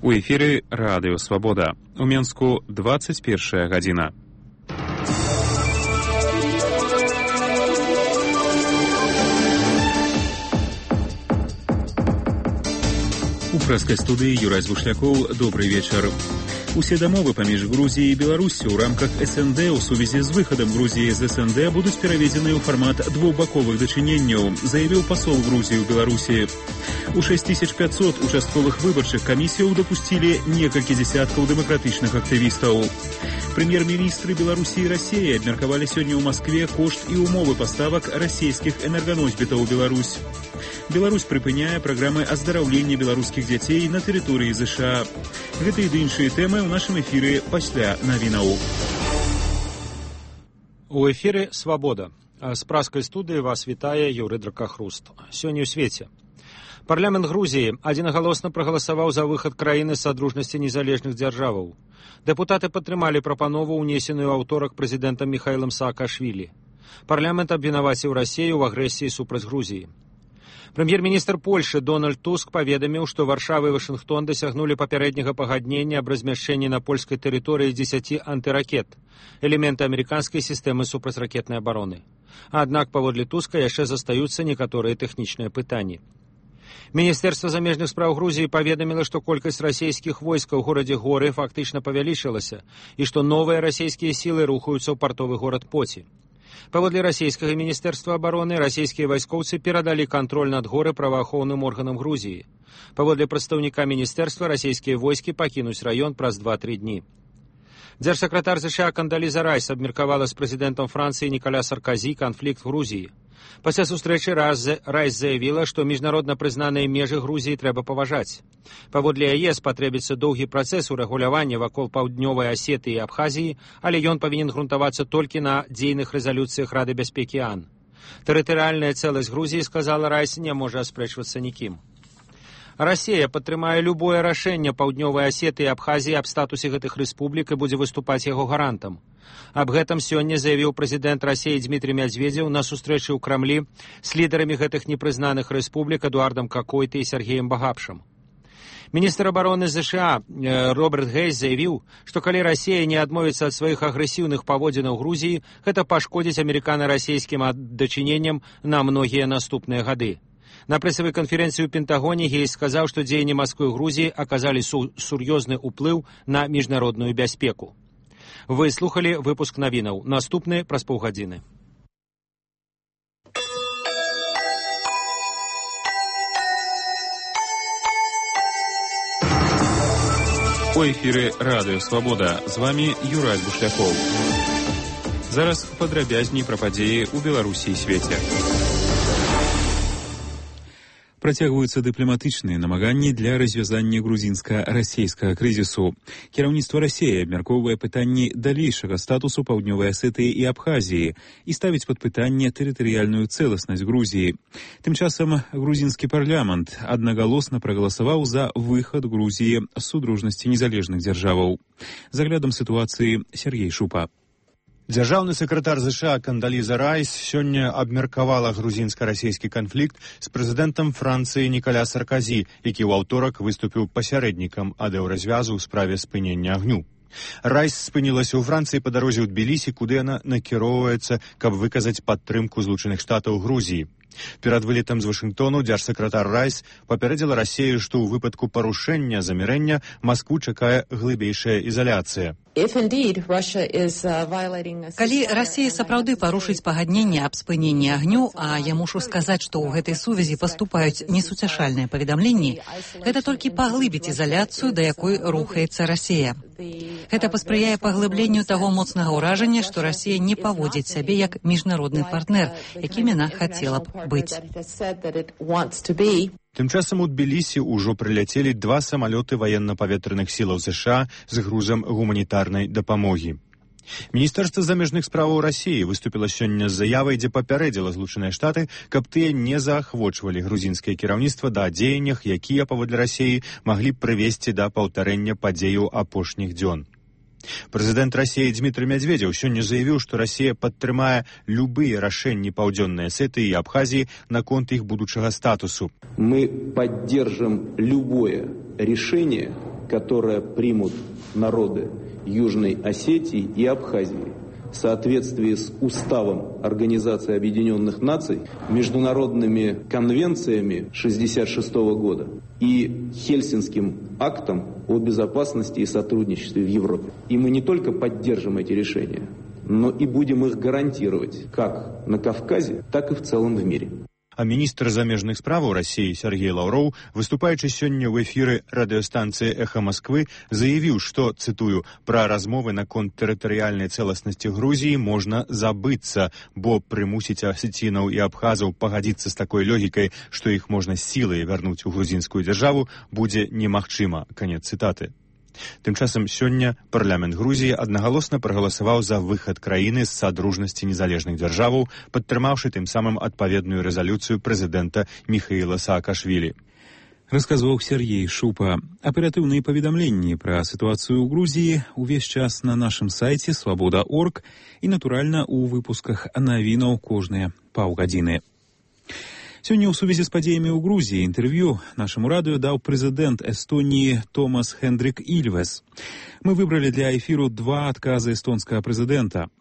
У эфіры Радыё Свабода. У Менску 21 гадзіна. У прэскай студыі Юрай Звушлякоў. Добрый вечар. Усе дамовы паміж Грузіяй і Беларуссю ў рамках СНД ў сувязі з выхадам Грузіі з СНД будуць пераведзены ў фармат двухбаковых дачыненняў, заявіў пасол Грузіі ў Беларусі. У 6500 участковых выбарчых камісіяў дапусцілі некалькі дзесяткаў дэмакратычных актывістаў. Прэм'ер-міністры Беларусі і Расіі абмеркавалі сёння ў Маскве кошт і ўмовы паставак расійскіх энерганосьбітаў у Беларусь. Беларусь прыпыняе праграмы аздараўлення беларускіх дзяцей на тэрыторыі ЗША. Гэта і іншыя тэмы ў нашым эфіры пасля навінаў. У эфіры «Свабода». З праскай студыі вас вітае Юрый Дракахруст. Сёння ў свеце. Парламент Грузіі адзінагалосна прагаласаваў за выхад краіны з садружнасці незалежных дзяржаваў. Дэпутаты падтрымалі прапанову, унесеную аўторак прэзідэнтам Міхаілам Саакашвілі. Парламент абвінаваціў Расію ў агрэсіі супраць Грузіі. Прэм'ер-міністр Польшы Дональд Туск паведаміў, што Варшава і Вашынгтон дасягнулі папярэдняга пагаднення аб размяшчэнні на польскай тэрыторыі 10 антыракет, элементы амерыканскай сістэмы супрацьракетнай абароны. Аднак, паводле Туска, яшчэ застаюцца некаторыя тэхнічныя пытанні. Міністэрства замежных спраў Грузіі паведаміла, што колькасць расійскіх войскаў у горадзе Горы фактычна павялічылася і што новыя расійскія сілы рухаюцца ў партовы горад Поці. Паводле расійскага міністэрства абароны, расійскія вайскоўцы перадалі кантроль над горы праваахоўным органам Грузіі. Паводле прадстаўніка міністэрства, расійскія войскі пакінуць раён праз 2-3 дні. Дзяржсакратар ЗША Кандаліза Райс абмеркавала з прэзідэнтам Францыі Нікаля Сарказі канфлікт Грузіі. Пасля сустрэчы Райс заявіла, што міжнародна прызнаныя межы Грузіі трэба паважаць. Паводле яе спатрэбіцца доўгі працэс урэгулявання вакол паўднёвай Асетыі і Абхазіі, але ён павінен грунтавацца толькі на дзейных рэзалюцыях Рады бяспекі АН. Тэрытарыяльная цэласць Грузіі, сказала Райс, не можа аспрэчвацца нікім. Расія падтрымае любое рашэнне паўднёвай Асетыі і Абхазіі аб статусе гэтых рэспублік і будзе выступаць яго гарантам. Аб гэтым сёння заявіў прэзідэнт Расіі Дмітрый Мядзведзеў на сустрэчы ў Крамлі з лідарамі гэтых непрызнаных рэспублік Эдуардам Какойтай і Сергеем Багапшам. Міністр абароны ЗША Роберт Гейс заявіў, што калі Расія не адмовіцца ад сваіх агрэсіўных паводзінаў Грузіі, гэта пашкодзіць амерыкана-расійскім дачыненням на многія наступныя гады. На прэсавай канферэнцыі ў Пентагоне Гейс сказаў, што дзеянні Масквы ў Грузіі аказалі сур'ёзны ўплыў на міжнародную бяспеку. Вы слухалі выпуск навінаў. Наступны праз паўгадзіны. У эфіры Радыё Свабода. З вамі Юрай Звушлякоў. Зараз падрабязней пра падзеі ў Беларусі і свеце. Працягваюцца дыпламатычныя намаганні для развязання грузінска-расейскага крызісу. Кіраўніцтва Расіі абмяркоўвае пытанні далейшага статусу паўднёвай Асетыі і Абхазіі і ставіць пад пытанне тэрытарыяльную цэласнасць Грузіі. Тым часам грузінскі парламент аднагалосна прагаласаваў за выхад Грузіі з судружнасці незалежных дзяржаваў. З аглядам сітуацыі Сергей Шупа. Дзяржаўны сакратар ЗША Кандаліза Райс сёння абмеркавала грузінска-расійскі канфлікт з прэзідэнтам Францыі Нікаля Сарказі, які ў аўторак выступіў пасярэднікам адэўразвязу ў справе спынення агню. Райс спынілася ў Францыі па дарозе ў Тбілісі, куды яна накіроўваецца, каб выказаць падтрымку Злучаных Штатаў Грузіі. Перад вылетам з Вашынгтону дзяржсакратар Райс папярэдзіла Расію, што ў выпадку парушэння замірэння Маскву чакае глыбейшая ізаляцыя. Калі Расія сапраўды парушыць пагадненне аб спыненні агню, а я мушу сказаць, што ў гэтай сувязі паступаюць несуцяшальныя паведамленні, гэта толькі паглыбіць ізаляцыю, да якой рухаецца Расія. Гэта паспрыяе паглыбленню таго моцнага ўражання, што Расія не паводзіць сябе як міжнародны партнер, якім яна хацела б быць. Тым часам у Тбілісі ўжо прыляцелі 2 самалёты ваенна-паветраных сілаў ЗША з грузам гуманітарнай дапамогі. Міністэрства замежных справаў Расіі выступіла сёння з заявай, дзе папярэдзіла Злучаныя Штаты, каб тыя не заахвочвалі грузінскае кіраўніцтва да дзеяннях, якія, паводле Расіі, маглі б прывесці да паўтарэння падзеяў апошніх дзён. Прэзідэнт Расіі Дмітрый Мядзведзеў сёння заявіў, што Расія падтрымае любыя рашэнні паўдзённай Асетыі і Абхазіі наконт іх будучага статусу. Мы поддержим любое решение которое примут народы Южной Осетии и Абхазии в соответствии с Уставом Организации Объединенных Наций, международными конвенциями 1966 года и Хельсинским актом о безопасности и сотрудничестве в Европе. И мы не только поддержим эти решения, но и будем их гарантировать как на Кавказе, так и в целом в мире. А міністр замежных справаў России Сергей Лавров, выступаючы сёння ў эфіры радыёстанцыі «Эхо Москвы», заявіў, што, цытую, «пра размовы наконт тэрытарыяльнай цэласнасці Грузіі можна забыцца, бо прымусіць асецінаў і абхазаў пагадзіцца з такой логікай, што іх можна сілай вярнуць у грузінскую дзяржаву, будзе немагчыма». Канец цытаты. Тым часам сёння парламент Грузіі аднагалосна прагаласаваў за выхад краіны з садружнасці незалежных дзяржаваў, падтрымаўшы тым самым адпаведную рэзалюцыю прэзідэнта Міхаіла Саакашвілі. Расказваў Сергей Шупа. Аператыўныя паведамленні пра сітуацыю ў Грузіі ўвесь час на нашым сайце «Свабода.орг» і, натуральна, у выпусках навінаў кожныя паўгадзіны. Сёння ў сувязі з падзеямі ў Грузіі інтэрв'ю нашаму радыё даў прэзідэнт Эстоніі Томас Хендрик Ільвес. Мы выбралі для эфіру два адказы эстонскага прэзідэнта.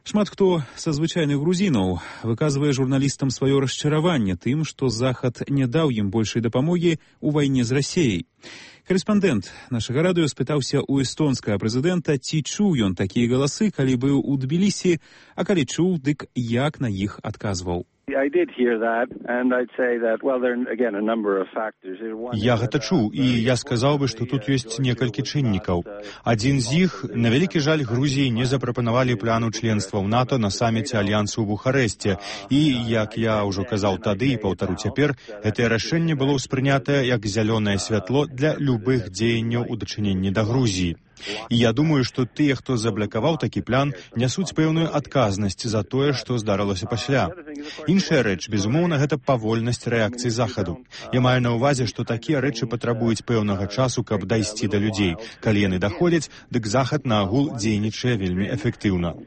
Шмат хто са звычайных грузінаў выказвае журналістам сваё расчараванне тым, што Захад не даў ім большай дапамогі ў вайне з Расіяй. Карэспандэнт нашага радыё спытаўся ў эстонскага прэзідэнта, ці чуў ён такія галасы, калі быў у Тбілісі, а калі чуў, дык як на іх адказваў. Я гэта чуў, і я сказаў бы, што тут ёсць некалькі чыннікаў. Адзін з іх, на вялікі жаль, Грузіі не запрапанавалі пляну членства ў НАТО на саміце Альянсу ў Бухарэсце. І, як я ўжо казаў тады і паўтару цяпер, гэтае рашэнне было ўспрынятае як зялёнае святло для любых дзеянняў у дачыненні да Грузіі. І я думаю, што тыя, хто заблакаваў такі план, нясуць пэўную адказнасць за тое, што здарылася пасля. Іншая рэч, безумоўна, гэта павольнасць рэакцыі Захаду. Я маю на ўвазе, што такія рэчы патрабуюць пэўнага часу, каб дайсці да людзей. Калі яны даходзяць, дык Захад на агул дзейнічае вельмі эфектыўна.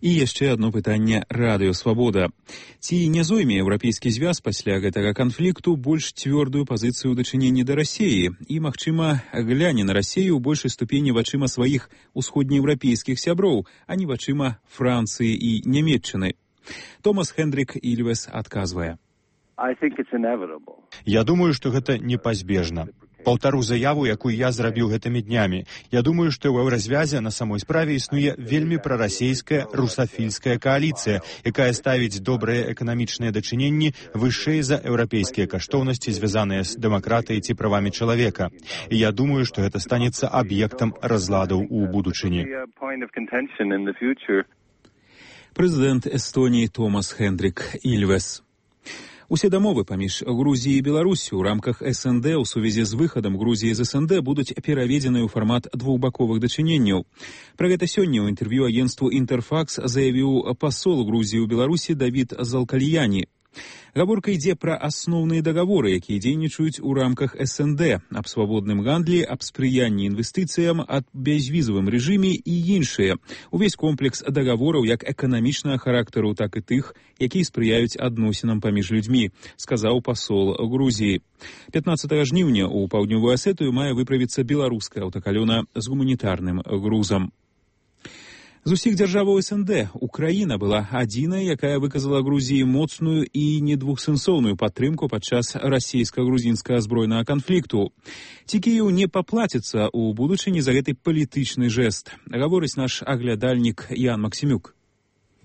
І яшчэ адно пытанне радыё «Свабода». Ці не зойме Еўрапейскі звяз пасля гэтага канфлікту больш цвёрдую пазіцыю ў дачыненні да Расіі і, магчыма, гляне на Расію ў большай ступені вачыма сваіх усходнееўрапейскіх сяброў, а не вачыма Францыі і Нямецчыны? Томас Хендрик Ільвес адказвае. Я думаю, што гэта непазбежна. Паўтару заяву, якую я зрабіў гэтымі днямі. Я думаю, што ў еўразвязе на самой справе існуе вельмі прарасійская русафільская кааліцыя, якая ставіць добрыя эканамічныя дачыненні вышэй за еўрапейскія каштоўнасці, звязаныя з дэмакратыяй ці правамі чалавека. І я думаю, што гэта станецца аб'ектам разладаў у будучыні. Прэзідэнт Эстоніі Томас Хендрик Ільвес. Усе дамовы паміж Грузіяй і Беларусю ў рамках СНД ў сувязі з выхадам Грузіі з СНД будуць пераведзены ў фармат двухбаковых дачыненняў. Пра гэта сёння ў інтэрв'ю агенцтву «Інтэрфакс» заявіў пасол Грузіі ў Беларусі Давід Залкальяні. Гаворка ідзе пра асноўныя дагаворы, якія дзейнічаюць у рамках СНД, аб свабодным гандлі, аб спрыянні інвестыцыям, аб бязвізавым рэжыме і іншыя. Увесь комплекс дагавораў як эканамічнага характару, так і тых, якія спрыяюць адносінам паміж людзьмі, сказаў пасол Грузіі. 15 жніўня ў Паўднёвую Асетыю мае выправіцца беларуская аўтакалёна з гуманітарным грузам. З усіх дзяржаваў СНД Украіна была адзінай, якая выказала Грузіі моцную і недвухсэнсоўную падтрымку падчас расійска-грузінскага збройнага канфлікту. Ці Кіеў не паплаціцца ў будучыні за гэты палітычны жэст, гаворыць наш аглядальнік Ян Максімюк.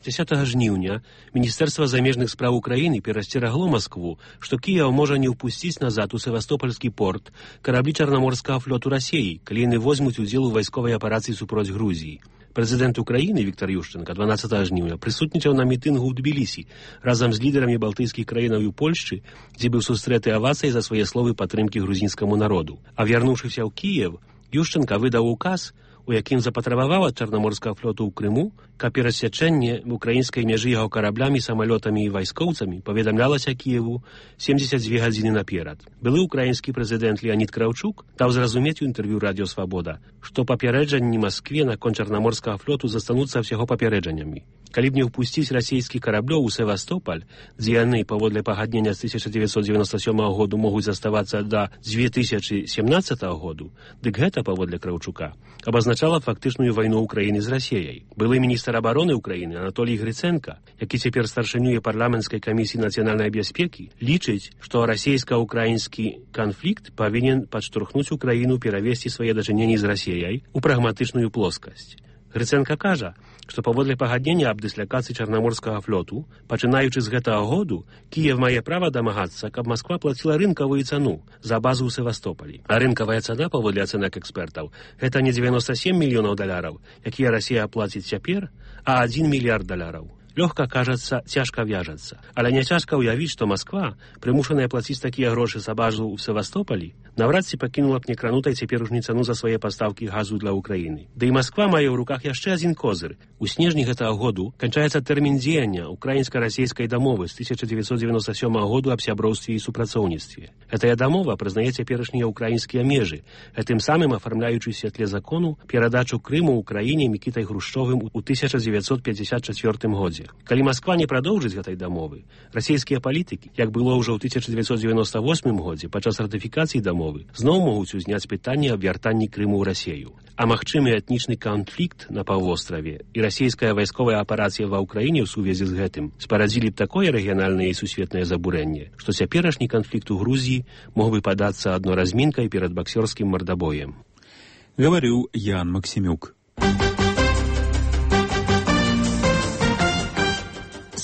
10 жніўня Міністэрства замежных спраў Украіны перасцерагло Маскву, што Кіеў можа не ўпусціць назад у Севастопольскі порт караблі Чарнаморскага флоту Расіі, калі яны возьмуць удзел у вайсковай аперацыі супроць Грузіі. Прэзідэнт Украіны Віктар Юшчэнка 12 жніўня прысутнічаў на мітынгу ў Тбілісі разам з лідарамі балтыйскіх краінаў і Польшчы, дзе быў сустрэты авацыяй за свае словы падтрымкі грузінскаму народу. А вярнуўшыся ў Кіеў, Юшчэнка выдаў указ, у якім запатрабаваў ад Чарнаморскага флоту ў Крыму, каб перасячэнне украінскай мяжы яго караблямі, самалётамі і вайскоўцамі паведамлялася Кіеву 72 гадзіны наперад. Былы украінскі прэзідэнт Леанід Краўчук даў зразумець у інтэрв'ю радыё «Свабода», што папярэджанні Маскве наконт Чарнаморскага флоту застануцца ўсяго папярэджаннямі. Калі б не ўпусціць расійскіх караблёў у Севастополь, дзе яны паводле пагаднення з 1997 году могуць заставацца да 2017 году, дык гэта, паводле Краўчука, абазначала фактычную вайну Украіны з Расіяй. Былы міністр абароны Украіны Анатолій Гриценко, які цяпер старшынюе парламенцкай камісіі нацыянальнай бяспекі, лічыць, што расійска-украінскі канфлікт павінен падштурхнуць Украіну перавесці свае дачыненні з Расіяй у прагматычную плоскасць. Гриценко кажа, што паводле пагаднення аб дыслякацыі Чарнаморскага флоту, пачынаючы з гэтага году, Кіев мае права дамагацца, каб Масква плаціла рынкавую цану за базу ў Севастополі. А рынкавая цана, паводле ацэнак экспертаў, гэта не 97 мільёнаў даляраў, якія Расія плаціць цяпер, а 1 мільярд даляраў. Лёгка, кажацца, цяжка вяжацца. Але не цяжка ўявіць, што Масква, прымушаная плаціць такія грошы за базу ў Севастополі, наврад ці пакінула б некранутай цяперашнюю цану за свае пастаўкі газу для Украіны. Да і Масква мае ў руках яшчэ адзін козыр. У снежні гэтага году канчаецца тэрмін дзеяння украінска-расійскай дамовы з 1997 году аб сяброўстве і супрацоўніцтве. Гэтая дамова прызнае цяперашнія украінскія межы, гэтым самым афармляючы ў святле закону перадачу Крыму Украіне Мікітай Хрушчовым у 1954 годзе. Калі Масква не прадоўжыць гэтай дамовы, расійскія палітыкі, як было ўжо ў 1998 годзе падчас ратыфікацыі дамовы, зноў могуць узняць пытанне аб вяртанні Крыму ў Расію. А магчымы этнічны канфлікт на паўвостраве і расійская вайсковая аперацыя ва ўкраіне ў сувязі з гэтым спарадзілі б такое рэгіянальнае і сусветнае забурэнне, што цяперашні канфлікт у Грузіі мог бы падацца адноразмінкай перад баксёрскім мардабоем. Гаварыў Ян Максімюк.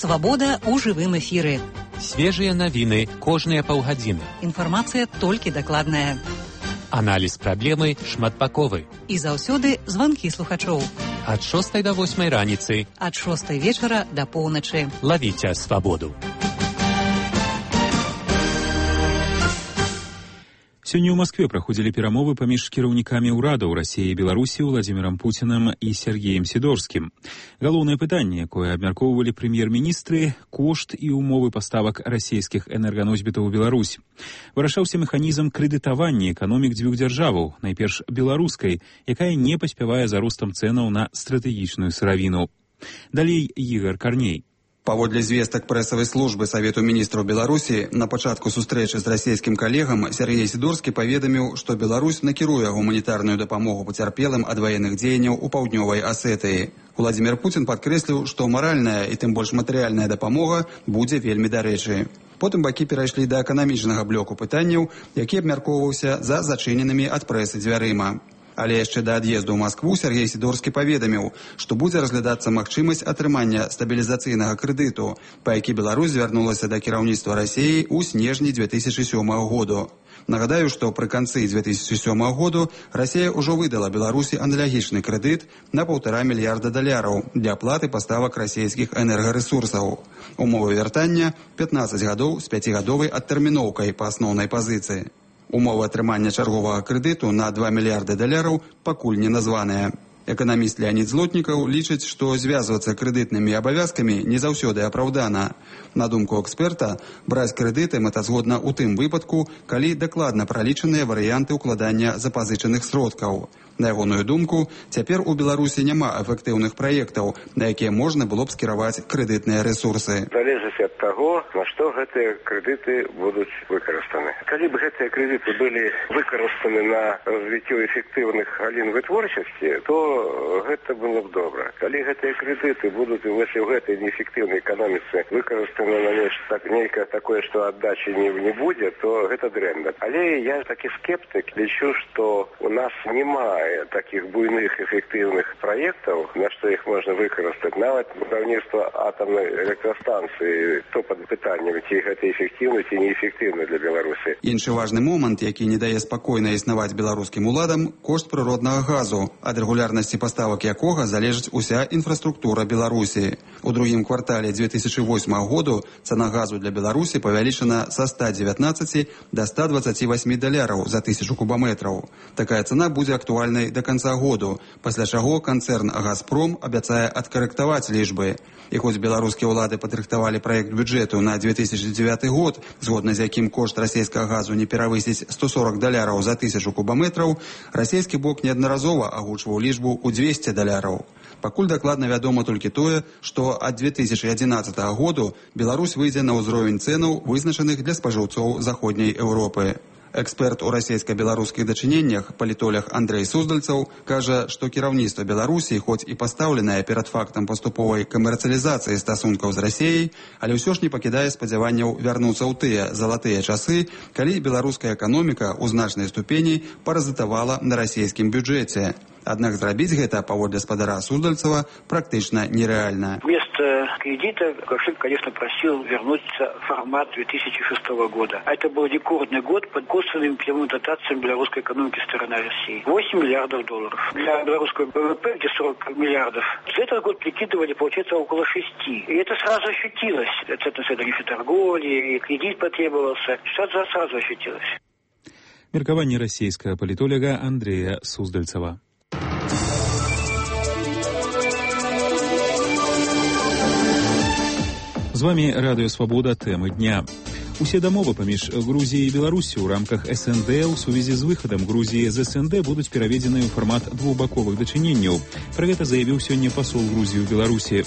Свабода ў жывым эфіры. Свежыя навіны кожныя паўгадзіны. Інфармацыя толькі дакладная. Аналіз праблемы шматбаковы. І заўсёды званкі слухачоў. Ад 6 до 8 раніцы. Ад 6 вечара да поўначы. Лавіце свабоду. Сёння ў Маскве праходзілі перамовы паміж кіраўнікамі ўрадаў Расіі і Беларусі Владзімірам Пуцінам і Сергеем Сідорскім. Галоўнае пытанне, якое абмяркоўвалі прэм'ер-міністры, кошт і ўмовы паставак расійскіх энерганосьбітаў у Беларусь. Вырашаўся механізм крэдытавання эканомік дзвюх дзяржаваў, найперш беларускай, якая не паспявае за ростам цэнаў на стратэгічную сыравіну. Далей Ігор Карней. Паводле звестак прэсавай службы Савету міністраў Беларусі, на пачатку сустрэчы з расійскім калегам Сергей Сідорскі паведаміў, што Беларусь накіруе гуманітарную дапамогу пацярпелым ад ваенных дзеянняў у паўднёвай Асетыі. Владзімір Пуцін падкрэсліў, што маральная і тым больш матэрыяльная дапамога будзе вельмі дарэчы. Потым бакі перайшлі да эканамічнага блоку пытанняў, які абмяркоўваўся за зачыненымі ад прэсы дзвярыма. Але яшчэ да ад'езду ў Маскву Сергей Сідорскі паведаміў, што будзе разглядацца магчымасць атрымання стабілізацыйнага крэдыту, па які Беларусь звярнулася да кіраўніцтва Расіі ў снежні 2007 году. Нагадаю, што пры канцы 2007 году Расія ўжо выдала Беларусі аналагічны крэдыт на $1,5 мільярда для аплаты паставак расійскіх энергарэсурсаў. Умовы вяртання 15 гадоў з 5гадовай адтэрміноўкай па асноўнай пазіцыі. Умовы атрымання чарговага крэдыту на $2 мільярды пакуль не названыя. Эканаміст Леонід Злотнікаў лічыць, што звязвацца крэдытнымі абавязкамі не заўсёды апраўдана. На думку эксперта, браць крэдыты мэтазгодна ў тым выпадку, калі дакладна пралічаныя варыянты ўкладання запазычаных сродкаў. На ягоную думку, цяпер у Беларусі няма эфектыўных праектаў, на якія можна было б скіраваць крэдытныя рэсурсы. Залежыць ад таго, на што гэтыя крэдыты будуць выкарыстаны. Калі б гэтыя крэдыты былі выкарыстаны на развіццё эфектыўных галін вытворчасці, то гэта было б добра. Калі гэтыя крэдыты будуць у гэтай неэфектыўнай эканоміцы выкарыстаны на нейкае такое, што аддачы не будзе, то гэта дрэнна. Але я такі скептык, лічу, што у нас няма таких буйных эффективных проектов, на что их можно выкористать. Нават будаўніцтва атомной электростанции, то под пытаннем, ці гэта эффективно, ці неэффективно для Беларуси. Іншы важны момант, які не дае спакойна існаваць беларускім уладам, кошт прыроднага газу, ад рэгулярнасці паставак якога залежыць уся інфраструктура Беларусі. У другім квартале 2008 году цана газу для Беларусі павялічана са $119 до $128 за 1000 кубометраў. Такая цана будзе актуальна до конца году, пасля чаго канцэрн «Газпром» абяцае адкарэктаваць лічбы. І хоць беларускія ўлады падрыхтавалі праект бюджэту на 2009 год, згодна з якім кошт расійскага газу не перавысіць $140 за 1000 кубометраў, расійскі бок неаднаразова агучваў лічбу ў $200. Пакуль дакладна вядома толькі тое, што ад 2011 году Беларусь выйдзе на ўзровень цэнаў, вызначаных для спажыўцоў заходняй Еўропы. Эксперт у расійска-беларускіх дачыненнях, палітолог Андрей Суздальцаў, кажа, што кіраўніцтва Беларусі, хоць і пастаўленае перад фактам паступовай камерцыялізацыі стасункаў з Расіяй, але ўсё ж не пакідае спадзяванняў вярнуцца ў тыя залатыя часы, калі беларуская эканоміка ў значнай ступені паразітавала на расійскім бюджэце. Аднак зрабіць гэта, паводле спадара Суздальцева, практычна нереально. Вместо кредита Лукашенко, конечно, просил вернуться в формат 2006 года. А это был рекордный год под косвенными прямыми дотациями белорусской экономики со стороны России. 8 миллиардов долларов. Для белорусского ВВП, где 40 миллиардов. За этот год прикидывали, получается, около 6. И это сразу ощутилось. Центр средней торговли, и кредит потребовался. Что сразу ощутилось. Меркование российского политолога Андрея Суздальцева. З вами Радыё Свабода, тэмы дня. Усе дамовы паміж Грузіяй і Беларусю ў рамках СНД ў сувязі з выхадам Грузіі з СНД будуць пераведзены ў фармат двухбаковых дачыненняў. Пра гэта заявіў сёння пасол Грузіі ў Беларусі.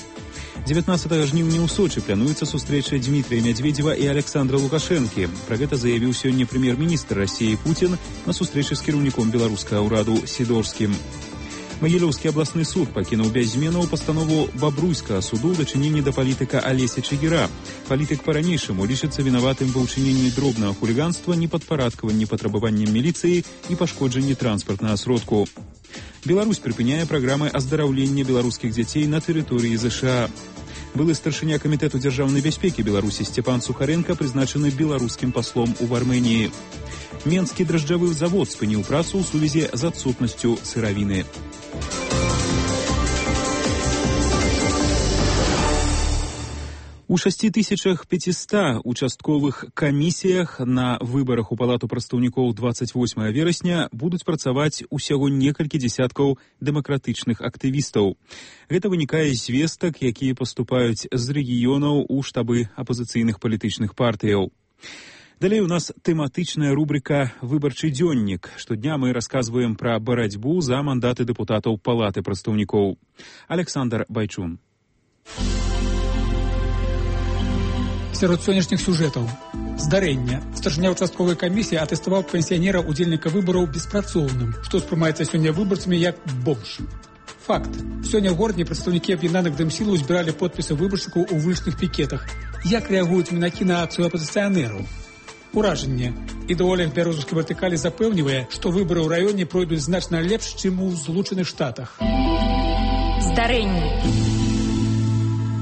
19 жніўня ў Сочы плануецца сустрэча Дмітрия Медведева і Александра Лукашэнкі. Пра гэта заявіў сёння прэм'ер-міністр Расіі Путін на сустрэчы з кіраўніком беларускага ўраду Сідорскім. Магілёўскі абласны суд пакінуў без зменаў пастанову бабруйскага суду ў дачыненні да палітыка Алеся Чигіра. Палітык па-ранейшаму лічыцца вінаватым ва ўчыненні дробнага хуліганства, непадпарадкаванні патрабаванням міліцыі і пашкоджанні транспартнага сродку. Беларусь прыпыняе праграмы аздараўлення беларускіх дзяцей на тэрыторыі ЗША. Былы старшыня камітэту дзяржаўнай бяспекі Беларусі Степан Сухаренко прызначаны беларускім паслом у Арменіі. Менскі дражджавы завод спыніў працу ў сувязі з адсутнасцю сыравіны. У 6500 участковых камісіях на выбарах у палату прадстаўнікоў 28 верасня будуць працаваць усяго некалькі дзесяткаў дэмакратычных актывістаў. Гэта вынікае з звестак, якія паступаюць з рэгіёнаў у штабы апазіцыйных палітычных партыяў. Далей у нас тэматычная рубрика «Выбарчы дзённік». Штодня мы расказваем пра барацьбу за мандаты дэпутатаў палаты прадстаўнікоў. Александр Байчун. Сярод сённяшніх сюжэтаў. Здарэнне. Старшыня участковай камісіі атэставаў пенсіянера удзельніка выбараў беспрацоўным, што ўспрымаецца сёння выбарцамі як бомж. Факт. Сёння ў горадзе прадстаўнікі аб'яднаных дэмсілаў збіралі подпісы выбаршчыкаў у вулічных пікетах. Як рэагуюць мінакі на акцыю апазіцыянераў? Уражанне. Ідэолог бярозаўскай вертыкалі запэўнівае, што выбары ў раёне пройдуць значна лепш, чым у Злучаных Штатах. Здарэнне.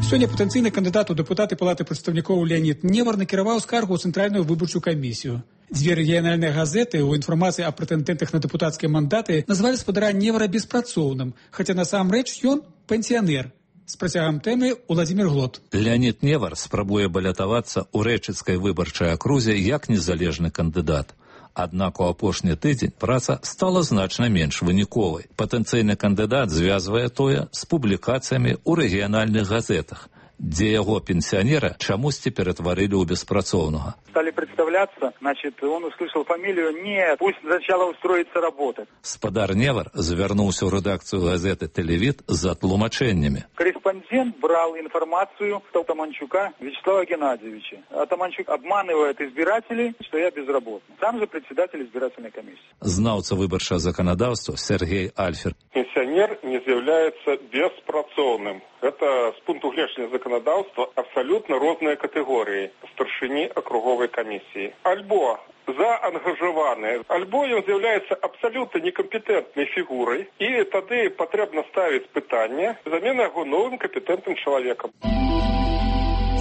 Сёння патэнцыйны кандыдат у дэпутаты палаты прадстаўнікоў Леонід Невар накіраваў скаргу ў цэнтральную выбарчую камісію. Дзве рэгіянальныя газеты ў інфармацыі аб прэтэндэнтах на дэпутацкія мандаты назвалі спадара Невара беспрацоўным, хаця насамрэч ён пенсіянер. З працягам тэмы Уладзімір Глот. Леонід Невар спрабуе балятавацца ў рэчыцкай выбарчай акрузе як незалежны кандыдат. Аднак у апошні тыдзень праца стала значна менш выніковай. Патэнцыйны кандыдат звязвае тое з публікацыямі ў рэгіянальных газетах, дзе яго пенсионера чамусьці перетворили у беспрацоўнага. Стали представляться, значит, он услышал фамилию, нет, пусть сначала устроится работать. Спадар Невар завернулся в редакцию газеты «Телевид» за тлумачениями. Корреспондент брал информацию от Атаманчука Вячеслава Геннадьевича. Атаманчук обманывает избирателей, что я безработный. Сам же председатель избирательной комиссии. Знаўца выбарчага законодаўства Сергей Альфер. Пенсионер не является беспрацоўным. Это с пункту гледжання законодаўства абсолютно розныя катэгорыі старшыні акруговай камісіі. Альбо заангажаваны, альбо ён з'яўляецца абсалютна некампетэнтнай фігурай, і тады патрэбна ставіць пытанне замены яго новым кампетэнтным чалавекам.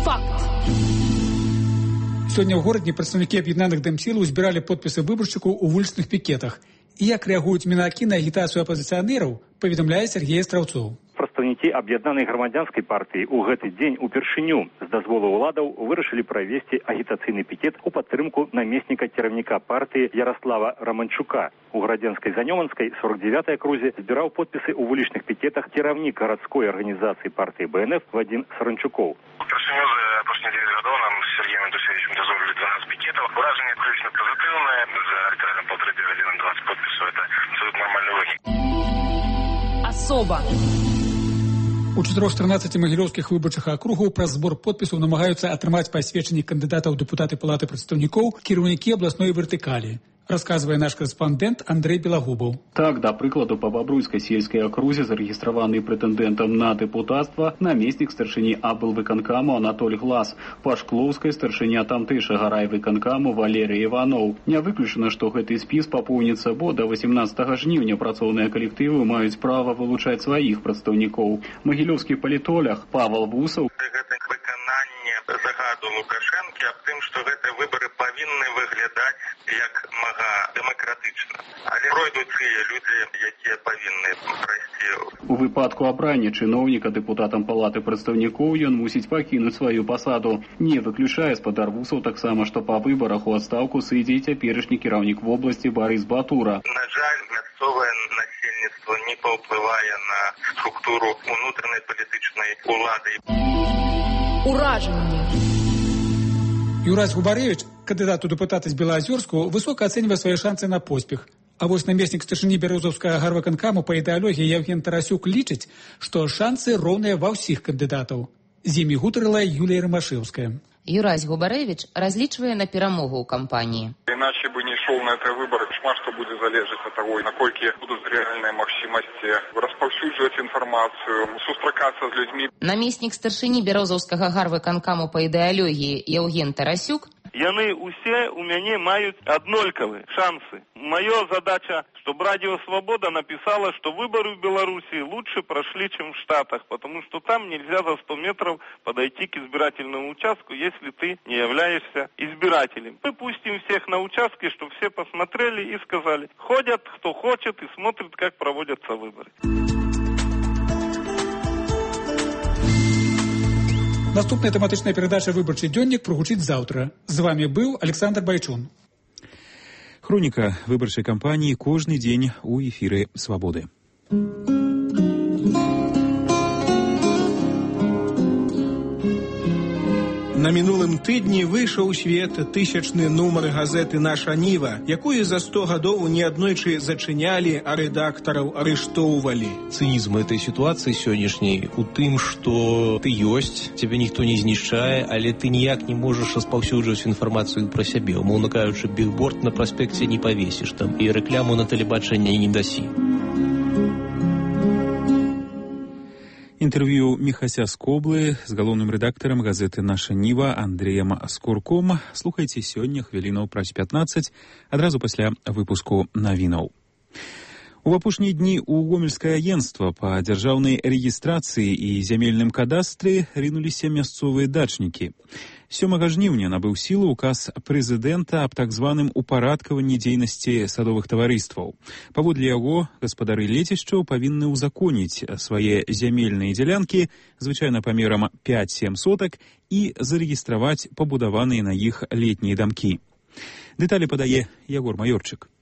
Факт. Сёння ў горадзе прадстаўнікі аб'яднаных дэмсілаў збіралі подпісы выбаршчыкаў у вулічных пікетах. І як рэагуюць мінакі на агітацыю апазіцыянераў, паведамляе Сергей Астраўцоў. Прадстаўнікі аб'яднанай грамадзянскай партыі ў гэты дзень упершыню з дазволу ўладаў вырашылі правесці агітацыйны пікет у падтрымку намесніка кіраўніка партыі Ярослава Романчука. У Градзенскай Занёманскай 49-й акрузе збіраў подпісы ў вулічных пікетах кіраўнік гарадской арганізацыі партыі БНФ Вадзім Саранчукоў. Упершыню за апошнія 9 гадоў нам з Сергеем Дусевічем дазволілі 12 пікетаў. Уражанне абсолютно позитивное. За літаральна 1,5 гадзіны 20 подпісаў. Это абсолютно нормальный вынік. Особа. У 413 магілёўскіх выбарчых акругаў праз збор подпісаў намагаюцца атрымаць пасведчанні кандыдатаў дэпутаты палаты прадстаўнікоў кіраўнікі абласной вертыкалі. Расказвае наш корэспандэнт Андрэй Белагубаў. Так, да прыкладу, па Бабруйскай сельскай акрузе зарэгістраваны прэтэндэнтам на дэпутацтва намеснік старшыні аблвыканкаму Анатоль Глас, па Шклоўскай старшыня тамтэйшага райвыканкаму Валерый Іваноў. Не выключана, што гэты спіс папоўніцца, бо да 18 жніўня працоўныя калектывы маюць права вылучаць сваіх прадстаўнікоў. Магілёўскі палітолог Павел Бусаў. Загаду Лукашэнкі аб тым, што гэтыя выбары павінны выглядаць як мага дэмакратычна. Але пройдуць тыя людзі, якія павінны прайсці. У выпадку абрання чыноўніка дэпутатам палаты прадстаўнікоў ён мусіць пакінуць сваю пасаду. Не выключае спадар Бусаў таксама, што па выбарах у адстаўку сыдзе і цяперашні кіраўнік вобласці Барыс Батура. На жаль, мясцовае насельніцтва не паўплывае на структуру унутранай палітычнай улады. Уражанне. Юрась Губаревич, кандыдат у дэпутаты з Белаазёрску, высока ацэньвае свае шансы на поспех. А вось намеснік старшыні бярозаўскага гарвыканкаму па ідэалогіі Евген Тарасюк лічыць, што шансы роўныя ва ўсіх кандыдатаў. З імі гутарыла Юлія Ромашевская. Юрась Губаревич разлічвае на перамогу ў кампаніі. Иначе бы не шел на это выбор. Шмат что будет залежать от того, наколькі будут реальные магчимости распаўсюджваць информацию, сустракаться с людьми. Намеснік старшыні бярозаўскага гарвыканкаму па ідэалогіі Евген Тарасюк. Яны усе у мяне маюць аднолькавыя шансы. Моя задача, чтобы Радио Свобода написала, что выборы в Беларуси лучше прошли, чем в Штатах, потому что там нельзя за 100 метров подойти к избирательному участку, если ты не являешься избирателем. Мы пустим всех на участки, чтобы все посмотрели и сказали, ходят кто хочет и смотрит, как проводятся выборы. Наступная тэматычная перадача «Выбарчы дзённік» прагучыць заўтра. З вами быў Александр Байчун. Хроніка выбарчай кампаніі кожны дзень у эфіры «Свабоды». На мінулым тыдні выйшаў у свет 1000-ны нумар газеты «Наша Ніва», якую за 100 гадоў неаднойчы зачынялі, а рэдактараў арыштоўвалі. Цынізм этой ситуации сённяшняй у тым, што ты ёсць, цябе ніхто не знішчае, але ты ніяк не можаш распаўсюджваць інфармацыю пра сябе. Умоўна кажучы, бігборд на праспекце не павесіш там і рэкляму на тэлебачанні не дасі. Інтэрв'ю Міхася Скоблы з галоўным рэдактарам газеты «Наша Ніва» Андрэем Скурком слухайце сёння хвілінаў праз 15, адразу пасля выпуску навінаў. У апошнія дні ў гомельскае агенцтва па дзяржаўнай рэгістрацыі і зямельным кадастры рынуліся мясцовыя дачнікі. 7 жніўня набыў сілу указ прэзідэнта аб так званым упарадкаванні дзейнасці садовых таварыстваў. Паводле яго гаспадары лецішчаў павінны ўзаконіць свае зямельныя дзялянкі, звычайна памерам 5-7 сотак, і зарэгістраваць пабудаваныя на іх летнія дамкі. Дэталі падае Ягор Маёрчык.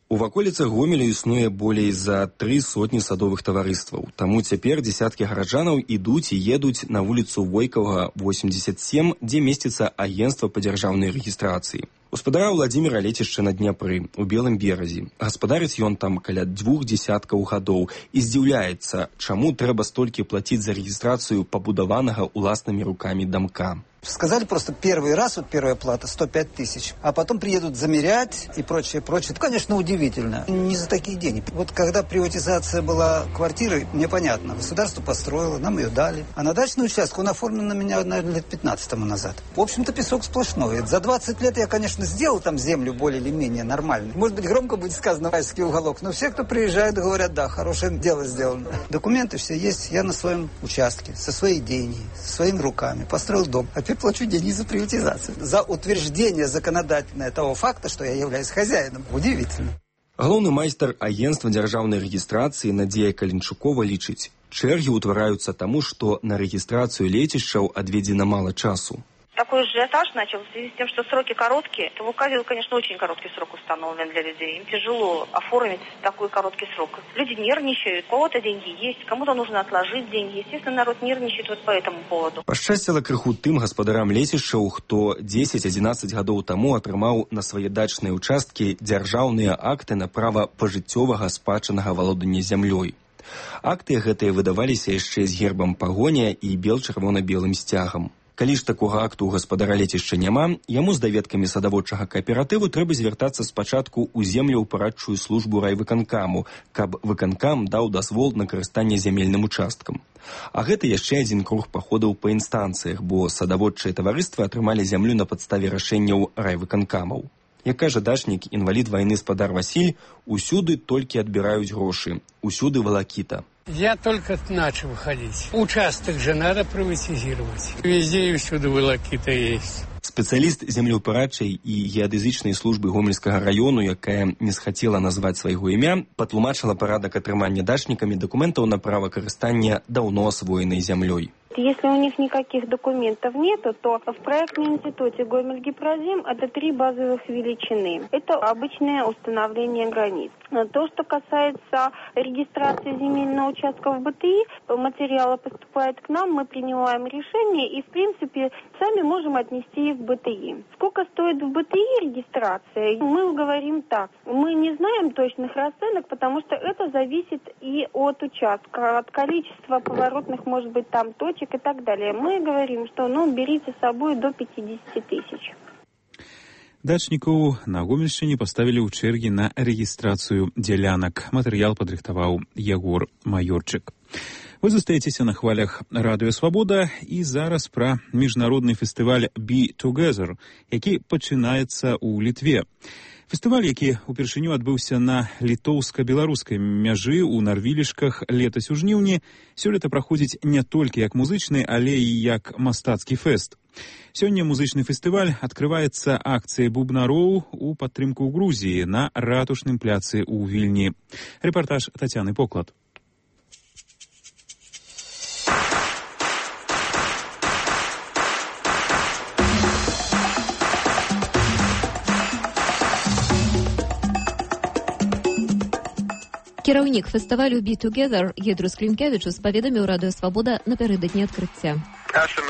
У ваколіцах Гомеля існуе болей за 300 садовых таварыстваў. Таму цяпер дзесяткі гараджанаў ідуць і едуць на вуліцу Войкавага, 87, дзе месціцца агенцтва па дзяржаўнай рэгістрацыі. Гаспадара Владзіміра лецішча на Дняпры, у Белым беразе. Гаспадарыць ён там каля 2 дзесяткаў гадоў і здзіўляецца, чаму трэба столькі плаціць за рэгістрацыю пабудаванага уласнымі рукамі дамка. Сказали просто первый раз, вот первая плата, 105 тысяч, а потом приедут замерять и прочее, прочее. Это, конечно, удивительно. Не за такие деньги. Вот когда приватизация была квартиры, мне понятно, государство построило, нам ее дали. А на дачный участок он оформлен на меня, наверное, лет 15 тому назад. В общем-то, песок сплошной. За 20 лет я, конечно, сделал там землю более или менее нормальной. Может быть, громко будет сказано «Райский уголок», но все, кто приезжает, говорят, да, хорошее дело сделано. Документы все есть. Я на своем участке, со своей деньги, своими руками построил дом. Плачу деньги за приватизацию. За утверждение законодательное того факта, что я являюсь хозяином. Удивительно. Галоўны майстар агенцтва дзяржаўнай рэгістрацыі Надзея Калінчукова лічыць, чэргі ўтвараюцца таму, што на рэгістрацыю лецішчаў адведзена мала часу. Такой ажиотаж начался в связи с тем, что сроки короткие. В указе, конечно, очень короткий срок установлен для людей. Им тяжело оформить такой короткий срок. Люди нервничают, у кого-то деньги есть, кому-то нужно отложить деньги. Естественно, народ нервничает вот по этому поводу. Пашчасціла крыху тым гаспадарам лецішчаў, хто 10-11 гадоў таму атрымаў на свае дачныя ўчасткі дзяржаўныя акты на права пажыццёвага спадчыннага валодання зямлёй. Акты гэтыя выдаваліся яшчэ з гербам пагоня і бел-чырвона-белым сцягам. Калі ж такога акту ў гаспадара лецішча няма, яму з даведкамі садаводчага кааператыву трэба звяртацца спачатку ў землеўпарадчую службу райвыканкаму, каб выканкам даў дазвол на карыстанне зямельным участкам. А гэта яшчэ адзін круг паходаў па інстанцыях, бо садаводчыя таварыствы атрымалі зямлю на падставе рашэнняў райвыканкамаў. Як кажа дачнік, інвалід вайны спадар Васіль, усюды толькі адбіраюць грошы, усюды валакіта. Я только начал ходить. Участок же надо приватизировать. Везде и всюду волокита есть. Спецыяліст землеўпарадчай і геадэзычнай службы Гомельскага раёну, якая не схацела назваць свайго імя, патлумачыла парадак атрымання дачнікамі дакументаў на права карыстання даўно асвоенай зямлёй. Если у них никаких документов нету, то в проектном институте Гомель-Гипрозим это 3 базовых величины. Это обычное установление границ. То, что касается регистрации земельного участка в БТИ, материалы поступают к нам, мы принимаем решение и, в принципе, сами можем отнести их в БТИ. Сколько стоит в БТИ регистрация? Мы говорим так. Мы не знаем точных расценок, потому что это зависит и от участка, от количества поворотных, может быть, там точек и так далее. Мы говорим, что берите с собой до 50 тысяч. Дачнікаў на Гомельшчыне паставілі ў чэргі на рэгістрацыю дзялянак. Матэрыял падрыхтаваў Ягор Майорчык. Вы застаецеся на хвалях Радыё Свабода і зараз пра міжнародны фестываль Be Together, які пачынаецца ў Літве. Фестываль, які ўпершыню адбыўся на літоўска-беларускай мяжы ў Нарвілішках летась у жніўні, сёлета праходзіць не толькі як музычны, але і як мастацкі фэст. Сёння музычны фестываль адкрываецца акцыяй бубнароў у падтрымку Грузіі на ратушным пляцы ў Вільні. Рэпартаж Тацяны Поклад. Кіраўнік фестывалю Be Together Гедрус Клінкевічус паведаміў Радыё Свабода напярэдадні адкрыцця.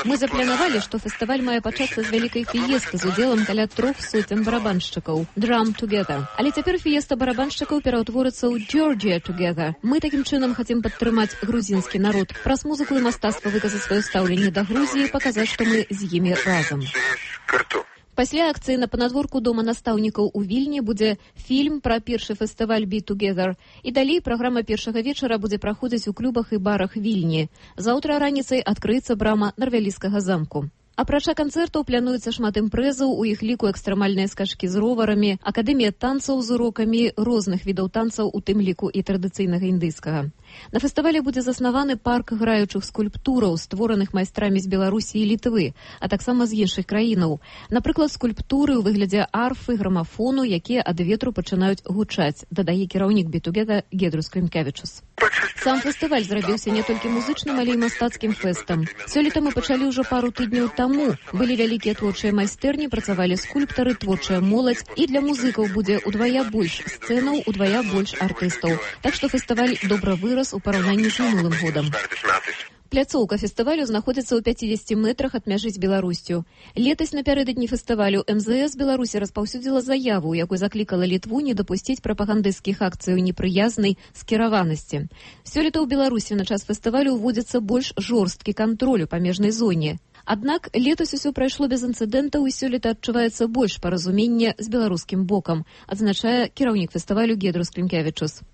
Мы запланавалі, што фестываль мае пачацца з вялікай фіесты з удзелам каля 300 барабаншчыкаў Drum Together. Але цяпер фіеста барабаншчыкаў пераўтворыцца ў Georgia Together. Мы такім чынам хацім падтрымаць грузінскі народ, праз музыку і мастацтва выказаць сваё стаўленне да Грузіі, паказаць, што мы з імі разам. Пасля акцыі на панадворку дома настаўнікаў у Вільні будзе фільм пра першы фестываль Be Together. І далей праграма першага вечара будзе праходзіць у клубах і барах Вільні. Заўтра раніцай адкрыецца брама Нарвяліскага замку. Апрача канцэртаў плануецца шмат імпрэзаў, у іх ліку экстрэмальныя скачкі з роварамі, акадэмія танцаў з урокамі розных відаў танцаў, у тым ліку і традыцыйнага індыйскага. На фестывале будзе заснаваны парк граючых скульптураў, створаных майстрамі з Беларусі і Літвы, а таксама з іншых краінаў. Напрыклад, скульптуры ў выглядзе арфы, грамафону, якія ад ветру пачынаюць гучаць, дадае кіраўнік Be Together Гедрус Клінкевічус. Сам фестываль зрабіўся не толькі музычным, але і мастацкім фэстам. Сёлета мы пачалі ўжо пару тыдняў таму. Былі вялікія творчыя майстэрні, працавалі скульптары, творчая моладзь, і для музыкаў будзе удвая больш сцэнаў, удвая больш артыстаў. Так што фестываль добра вырас у параўнанні з мінулым годам. Пляцоўка фестывалю знаходзіцца ў 50 метрах ад мяжы з Беларусцю. Летась напярэдадні фестывалю МЗС Беларусі распаўсюдзіла заяву, якой заклікала Літву не дапусціць прапагандысцкіх акцыяў непрыязнай скіраванасці. Сёлета ў Беларусі на час фестывалю ўводзіцца больш жорсткі кантроль у памежнай зоне. Аднак летась усё прайшло без інцыдэнтаў і сёлета адчуваецца больш паразумення з беларускім бокам, адзначае кіраўнік фестывалю Гедрус Клінкевічус.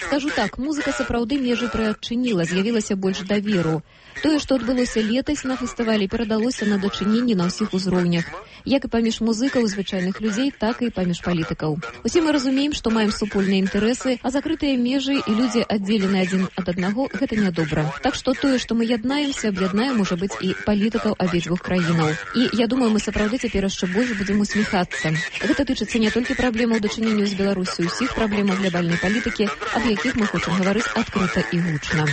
Скажу так, музыка сапраўды межы прыадчыніла, з'явілася больш даверу. Тое, што адбылося летась на фестывалі, перадалося на дачыненні на ўсіх узроўнях, як і паміж музыкаў і звычайных людзей, так і паміж палітыкаў. Усе мы разумеем, што маем супольныя інтарэсы, а закрытыя межы і людзі аддзелены адзін ад аднаго, гэта нядобра. Так што тое, што мы яднаемся, аб'яднаем, можа быць, і палітыкаў абедзвюх краінаў. І я думаю, мы сапраўды цяпер яшчэ больш будзем усміхацца. Гэта тычыцца не толькі праблемаў дачынення з Беларусю, усіх праблемаў глобальнай палітыкі, аб якіх мы хочам гаварыць адкрыта і гучна.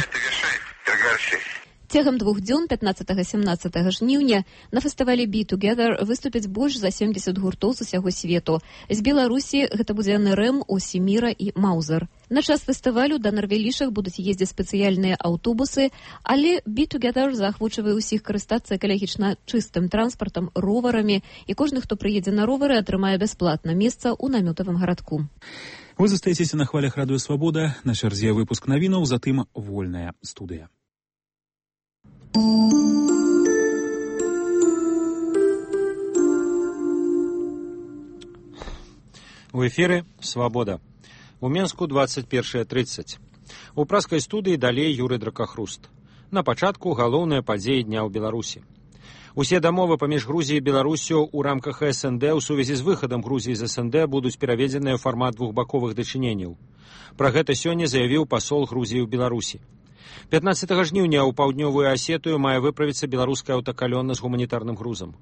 Цягам 2 дзён 15-17 жніўня на фестывалі Be Together выступяць больш за 70 гуртоў з усяго свету. З Беларусі гэта будзе НРМ, Осіміра і Маузер. На час фестывалю да Нарвелішах будуць ездзіць спецыяльныя аўтобусы, але Be Together заахвочвае ўсіх карыстацца экалагічна чыстым транспартам, роварамі, і кожны, хто прыедзе на ровары, атрымае бясплатна месца ў намётавым гарадку. Вы застаецеся на хвалях радыё «Свабода», на чарзе выпуск навінаў, затым вольная студыя. У эфіры «Свабода». У Менску 21:30. У праскай студыі далей Юрый Дракахруст. На пачатку галоўныя падзеі дня ў Беларусі. Усе дамовы паміж Грузіяй і Беларусю ў рамках СНД ў сувязі з выхадам Грузіі з СНД будуць пераведзеныя ў фармат двухбаковых дачыненняў. Пра гэта сёння заявіў пасол Грузіі ў Беларусі. 15 жніўня ў паўднёвую Асетыю мае выправіцца беларуская аўтакалёна з гуманітарным грузам.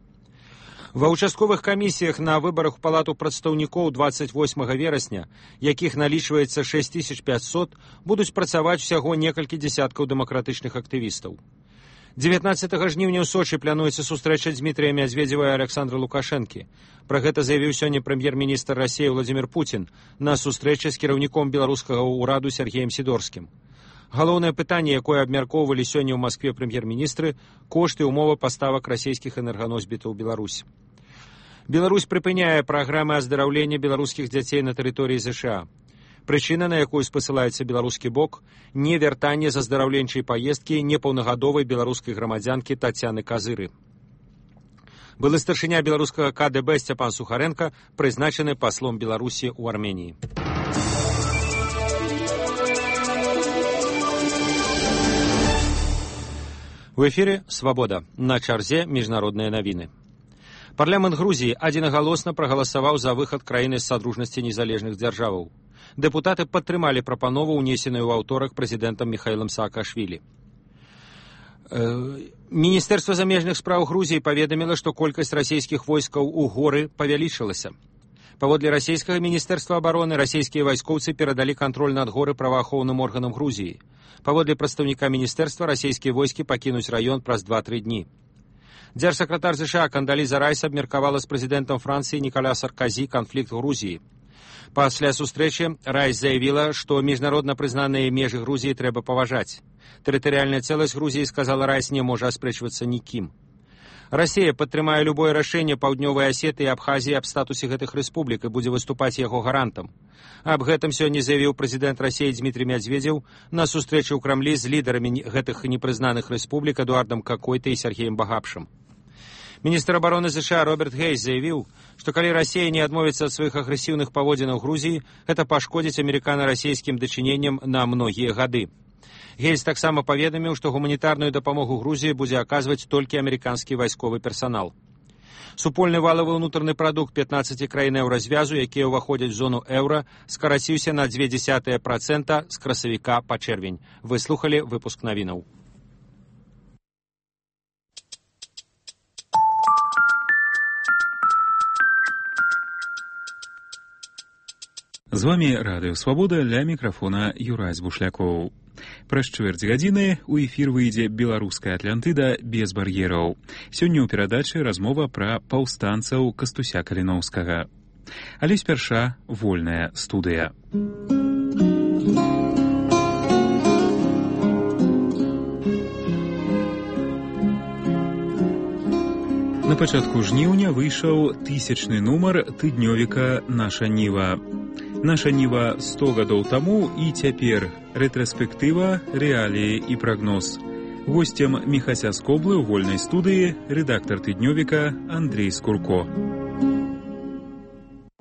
Ва ўчастковых камісіях на выбарах у палату прадстаўнікоў 28 верасня, якіх налічваецца 6500, будуць працаваць усяго некалькі дзесяткаў дэмакратычных актывістаў. 19 жніўня ў Сочы плануецца сустрэча Дмітрия Медведева і Александра Лукашэнкі. Пра гэта заявіў сёння прэм'ер-міністр Расіі Владзімір Пуцін на сустрэчы з кіраўніком беларускага ўраду Сергеем Сідорскім. Галоўнае пытанне, якое абмяркоўвалі сёння ў Маскве прэм'ер-міністры, кошты і умовы паставак расійскіх энерганосьбітаў у Беларусь. Беларусь прыпыняе праграмы аздараўлення беларускіх дзяцей на тэрыторыі ЗША. Прычына, на якую спасылаецца беларускі бок, не вяртанне з аздараўленчай паездкі непаўнагадовай беларускай грамадзянкі Тацяны Казыры. Былы старшыня беларускага КДБ Сцяпан Сухаренко прызначаны паслом Беларусі ў Арменіі. У эфіры «Свабода». На чарзе міжнародныя навіны. Парламент Грузіі адзінагалосна прагаласаваў за выхад краіны з садружнасці незалежных дзяржаваў. Дэпутаты падтрымалі прапанову, унесеную ў аўторак прэзідэнтам Міхаілам Саакашвілі. Міністэрства замежных спраў Грузіі паведаміла, што колькасць расійскіх войскаў у горы павялічылася. Паводле расійскага міністэрства абароны, расійскія вайскоўцы перадалі кантроль над горы праваахоўным органам Грузіі. Паводле прадстаўніка міністэрства, расійскія войскі пакінуць раён праз 2-3 дні. Дзяржсакратар ЗША Кандаліза Райс абмеркавала з прэзідэнтам Францыі Ніколя Сарказі канфлікт Грузіі. Пасля сустрэчы Райс заявіла, што міжнародна прызнаныя межы Грузіі трэба паважаць. Тэрытарыяльная цэласць Грузіі, сказала Райс, не можа аспрэчвацца нікім. Расія падтрымае любое рашэнне Паўднёвай Асеты і Абхазіі аб статусе гэтых рэспублік і будзе выступаць яго гарантам. Аб гэтым сёння заявіў прэзідэнт Расіі Дмітрий Медведев на сустрэчы ў Крамлі з лідарамі гэтых непрыznaных рэспублік Эдуардам Какойта і Сергеем Багапшым. Міністр абароны ЗША Роберт Гейс заявіў, што калі Расія не адмовіцца ад сваіх агрэсіўных паводзінаў Грузіі, гэта пашкодзіць амерыкана-расійскім дачыненням на многія гады. Гейс таксама паведаміў, што гуманітарную дапамогу Грузіі будзе аказваць толькі амерыканскі вайсковы персанал. Супольны валавы ўнутраны прадукт 15 краін еўразвязу, якія ўваходзяць у зону еўра, скараціўся на 0,2% з красавіка па чэрвень. Вы слухалі выпуск навінаў. З вами радыё «Свабода», ля мікрафона Юрай Бушлякоў. Праз чвэрць гадзіны ў эфір выйдзе беларуская Атлантыда без бар'ераў. Сёння ў перадачы размова пра паўстанцаў Кастуся Каліноўскага. Але спярша вольная студыя. На пачатку жніўня выйшаў 1000-ны нумар тыднёвіка «Наша Ніва». Наша Ніва 100 гадоў таму і цяпер. Рэтраспектыва, рэаліі і прагноз. Госцем Міхася Скоблы ў вольнай студыі рэдактар тыднёвіка Андрей Скурко.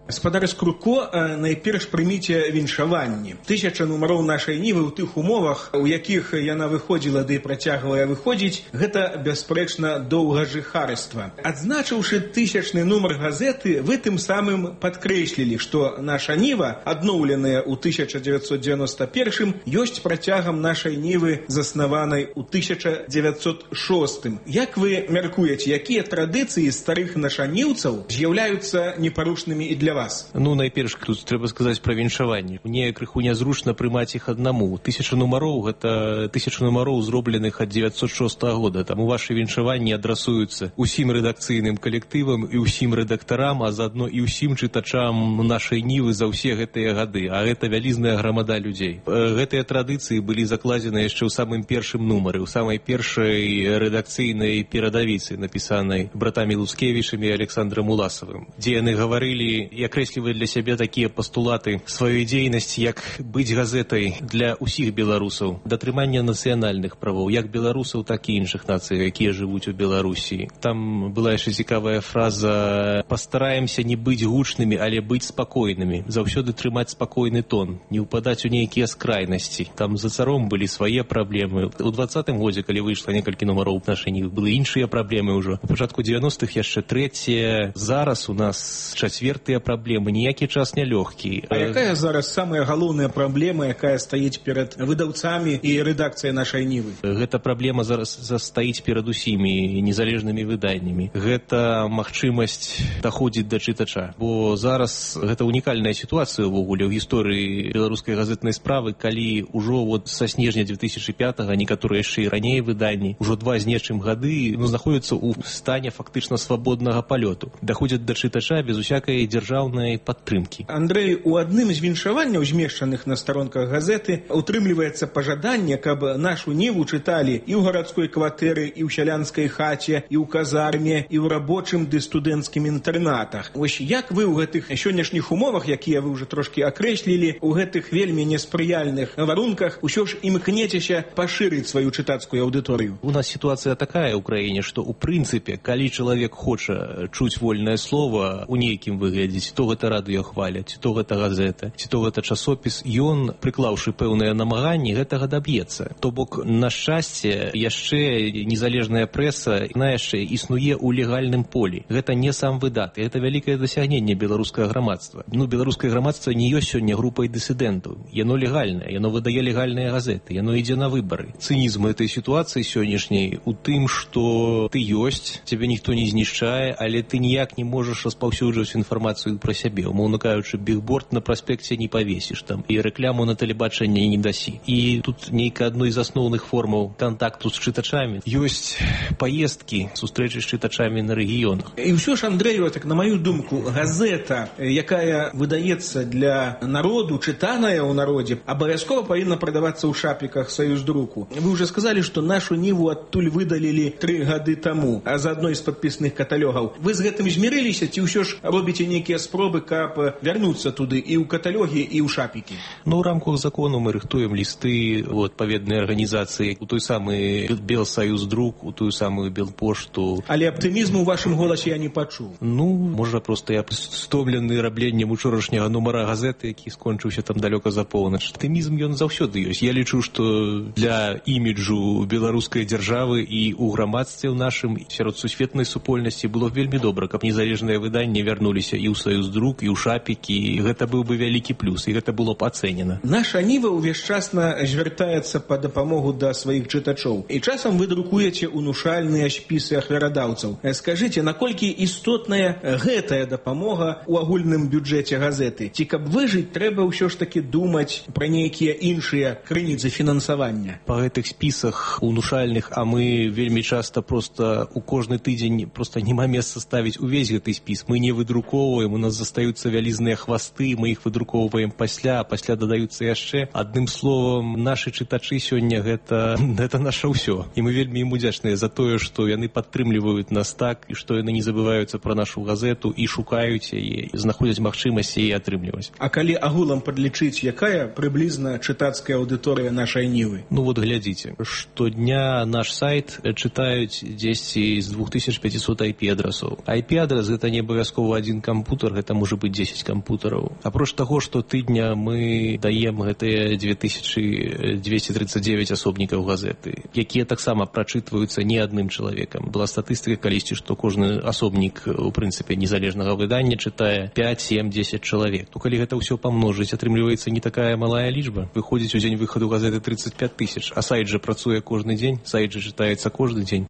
Гаспадар Скурко, найперш прыміце віншаванні. 1000 нумароў нашай Нівы ў тых умовах, у якіх яна выходзіла ды працягвае выходзіць, гэта бясспрэчна доўгажыхарства. Адзначыўшы 1000-ны нумар газеты, вы тым самым падкрэслілі, што наша Ніва, адноўленая ў 1991, ёсць працягам нашай Нівы, заснаванай у 1906. Як вы мяркуеце, якія традыцыі старых нашаніўцаў з'яўляюцца непарушнымі і для вас? Ну, найперш, тут трэба сказаць пра віншаванні. Мне крыху нязручна прымаць іх аднаму. 1000 нумароў, гэта 1000 нумароў, зробленых ад 906 года. Таму вашы віншаванні адрасуюцца ўсім рэдакцыйным калектывам і ўсім рэдактарам, а заадно і ўсім чытачам нашай Нівы за ўсе гэтыя гады. А гэта вялізная грамада людзей. Гэтыя традыцыі былі закладзены яшчэ ў самым першым нумары, ў самай першай рэдакцыйнай перадавіцы, напісанай братамі Лускевічамі і Александрам Уласавым, дзе яны гаварылі, і акрэслівае для сябе такія пастулаты сваёй дзейнасці, як быць газетай для ўсіх беларусаў, датрымання нацыянальных правоў, як беларусаў, так і іншых нацый, якія жывуць у Беларусі. Там была яшчэ цікавая фраза: пастараемся не быць гучнымі, але быць спакойнымі, заўсёды трымаць спакойны тон, не ўпадаць у нейкія скрайнасці. Там за царом былі свае праблемы. У 20-м годзе, калі выйшла некалькі нумароў нашай нівы, былі іншыя праблемы ўжо. У пачатку 90-х яшчэ трэція. Зараз у нас чацвертыя праблемы. Ніякі час не лёгкі. А якая зараз самая галоўная праблема, якая стаіць перад выдаўцамі і рэдакцыяй нашай нівы? Гэта праблема зараз стаіць перад усімі незалежнымі выданнямі. Гэта магчымасць даходзіць да чытача. Бо зараз гэта унікальная сітуацыя ўвогуле ў гісторыі беларускай газетнай справы, калі ўжо са снежня 2005-го, некаторыя яшчэ і раней выданні, ўжо 2 з нечым гады знаходзяцца ў стане фактычна свабоднага палёту. Даходзяць да чытача без усякай дзяржаўнай падтрымкі. Андрэй, у адным з віншаванняў, змешчаных на старонках газеты, утрымліваецца пажаданне, каб нашу ніву чыталі і ў гарадской кватэры, і ў сялянскай хаце, і ў казарме, і ў рабочым ды студэнцкім інтэрнатах. Вось як вы ў гэтых сённяшніх умовах, якія вы ўжо трошкі акрэслілі, у гэтых вельмі неспрыяльных варунках усё ж імкнецеся пашырыць сваю чытацкую аўдыторыю? У нас сітуацыя такая ў краіне, што ў прынцыпе, калі чалавек хоча чуць вольнае слова у нейкім выглядзе, ці то гэта радыё хваля, ці то гэта газета, ці то гэта часопіс, ён, прыклаўшы пэўныя намаганні, гэтага даб'ецца. То бок, на шчасце, яшчэ незалежная прэса, яна яшчэ існуе ў легальным полі. Гэта не сам выдат, гэта вялікае дасягненне беларускага грамадства. Беларускае грамадства не ёсць сёння групай дысідэнтаў. Яно легальнае, яно выдае легальныя газеты, яно ідзе на выбары. Цынізм этой сітуацыі сённяшняй у тым, што ты ёсць, цябе ніхто не знішчае, але ты ніяк не можаш распаўсюджваць інфармацыю пра сябе. Умоўна кажучы, бігборд на праспекце не павесіш там, і рэкляму на тэлебачанні не дасі. І тут нейка адной з асноўных формаў кантакту з чытачамі ёсць паездкі, сустрэчы з чытачамі на рэгіёнах. І ўсё ж, Андрэю, так на маю думку, газета, якая выдаецца для народу, чытаная ў народзе, абавязкова павінна прадавацца ў шапіках Саюздруку. Вы уже сказалі, што нашу ніву адтуль выдалілі 3 гады таму, а за адной з падпісных каталогаў. Вы з гэтым змірыліся, ці ўсё ж робіце нейкія спробы, каб вярнуцца туды і ў каталогі, і ў шапікі? Ну, у рамках закону мы рыхтуем лісты у адпаведныя арганізацыі, у той самы Белсаюздрук, у тую самую Белпошту. Але аптымізму ў вашым голасе я не пачуў. Ну, можа, проста я стомлены рабленнем учорашняга нумара газеты, які скончыўся там далёка за поўнач. Аптымізм ён заўсёды ёсць. Я лічу, што для іміджу беларускай дзяржавы і ў грамадстве ў нашым сярод сусветнай супольнасці было вельмі добра, каб незалежныя выданні вярнуліся і ў Саюздрук, і ў шапікі, і гэта быў бы вялікі плюс, і гэта было б ацэнена. Наша ніва ўвесчасна звяртаецца па дапамогу да сваіх чытачоў. І часам вы друкуеце унушальныя спісы ахвярадаўцаў. Скажыце, наколькі істотная гэтая дапамога ў агульным бюджэце газеты? Ці каб выжыць, трэба ўсё ж такі думаць пра нейкія іншыя крыніцы фінансавання? Па гэтых спісах унушальных, а мы вельмі часта проста у кожны тыдзень проста няма месца ставіць увесь гэты спіс. Мы не выдрукоўваем, у нас застаюцца вялізныя хвасты, мы іх выдрукоўваем пасля, а пасля дадаюцца яшчэ. Адным словам, нашы чытачы сёння гэта наша ўсё. І мы вельмі ім удзячныя за тое, што яны падтрымліваюць нас так, і што яны не забываюцца пра нашу газету і шукаюць яе, знаходзяць магчымасць яе атрымліваць. А калі агулам падлічыць, якая прыблізна чытацкая аўдыторыя нашай нівы? Ну вот глядзіце, штодня наш сайт чытаюць дзесьці з 2500 IP-адрасаў. IP-адрас гэта не абавязкова адзін кампутар, гэта можа быць 10 кампутараў. Апроч таго, што тыдня мы даем гэтыя 2239 асобнікаў газеты, якія таксама прачытваюцца не адным чалавекам. Была статыстыка калісьці, што кожны асобнік, у прынцыпе, незалежнага выдання чытае 5, 7, 10 чалавек. То калі гэта ўсё памножыць, атрымліваецца не такая малая лічба. Выходзіць у дзень выхаду газеты 35 000, а сайт жа працуе кожны дзень, сайт жа чытаецца кожны дзень.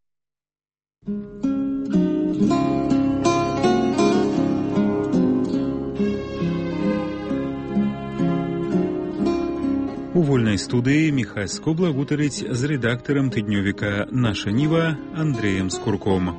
У вольнай студыі Міхась Скобла гутарыць з рэдактарам тыднёвіка «Наша Ніва» Андрэем Скурком.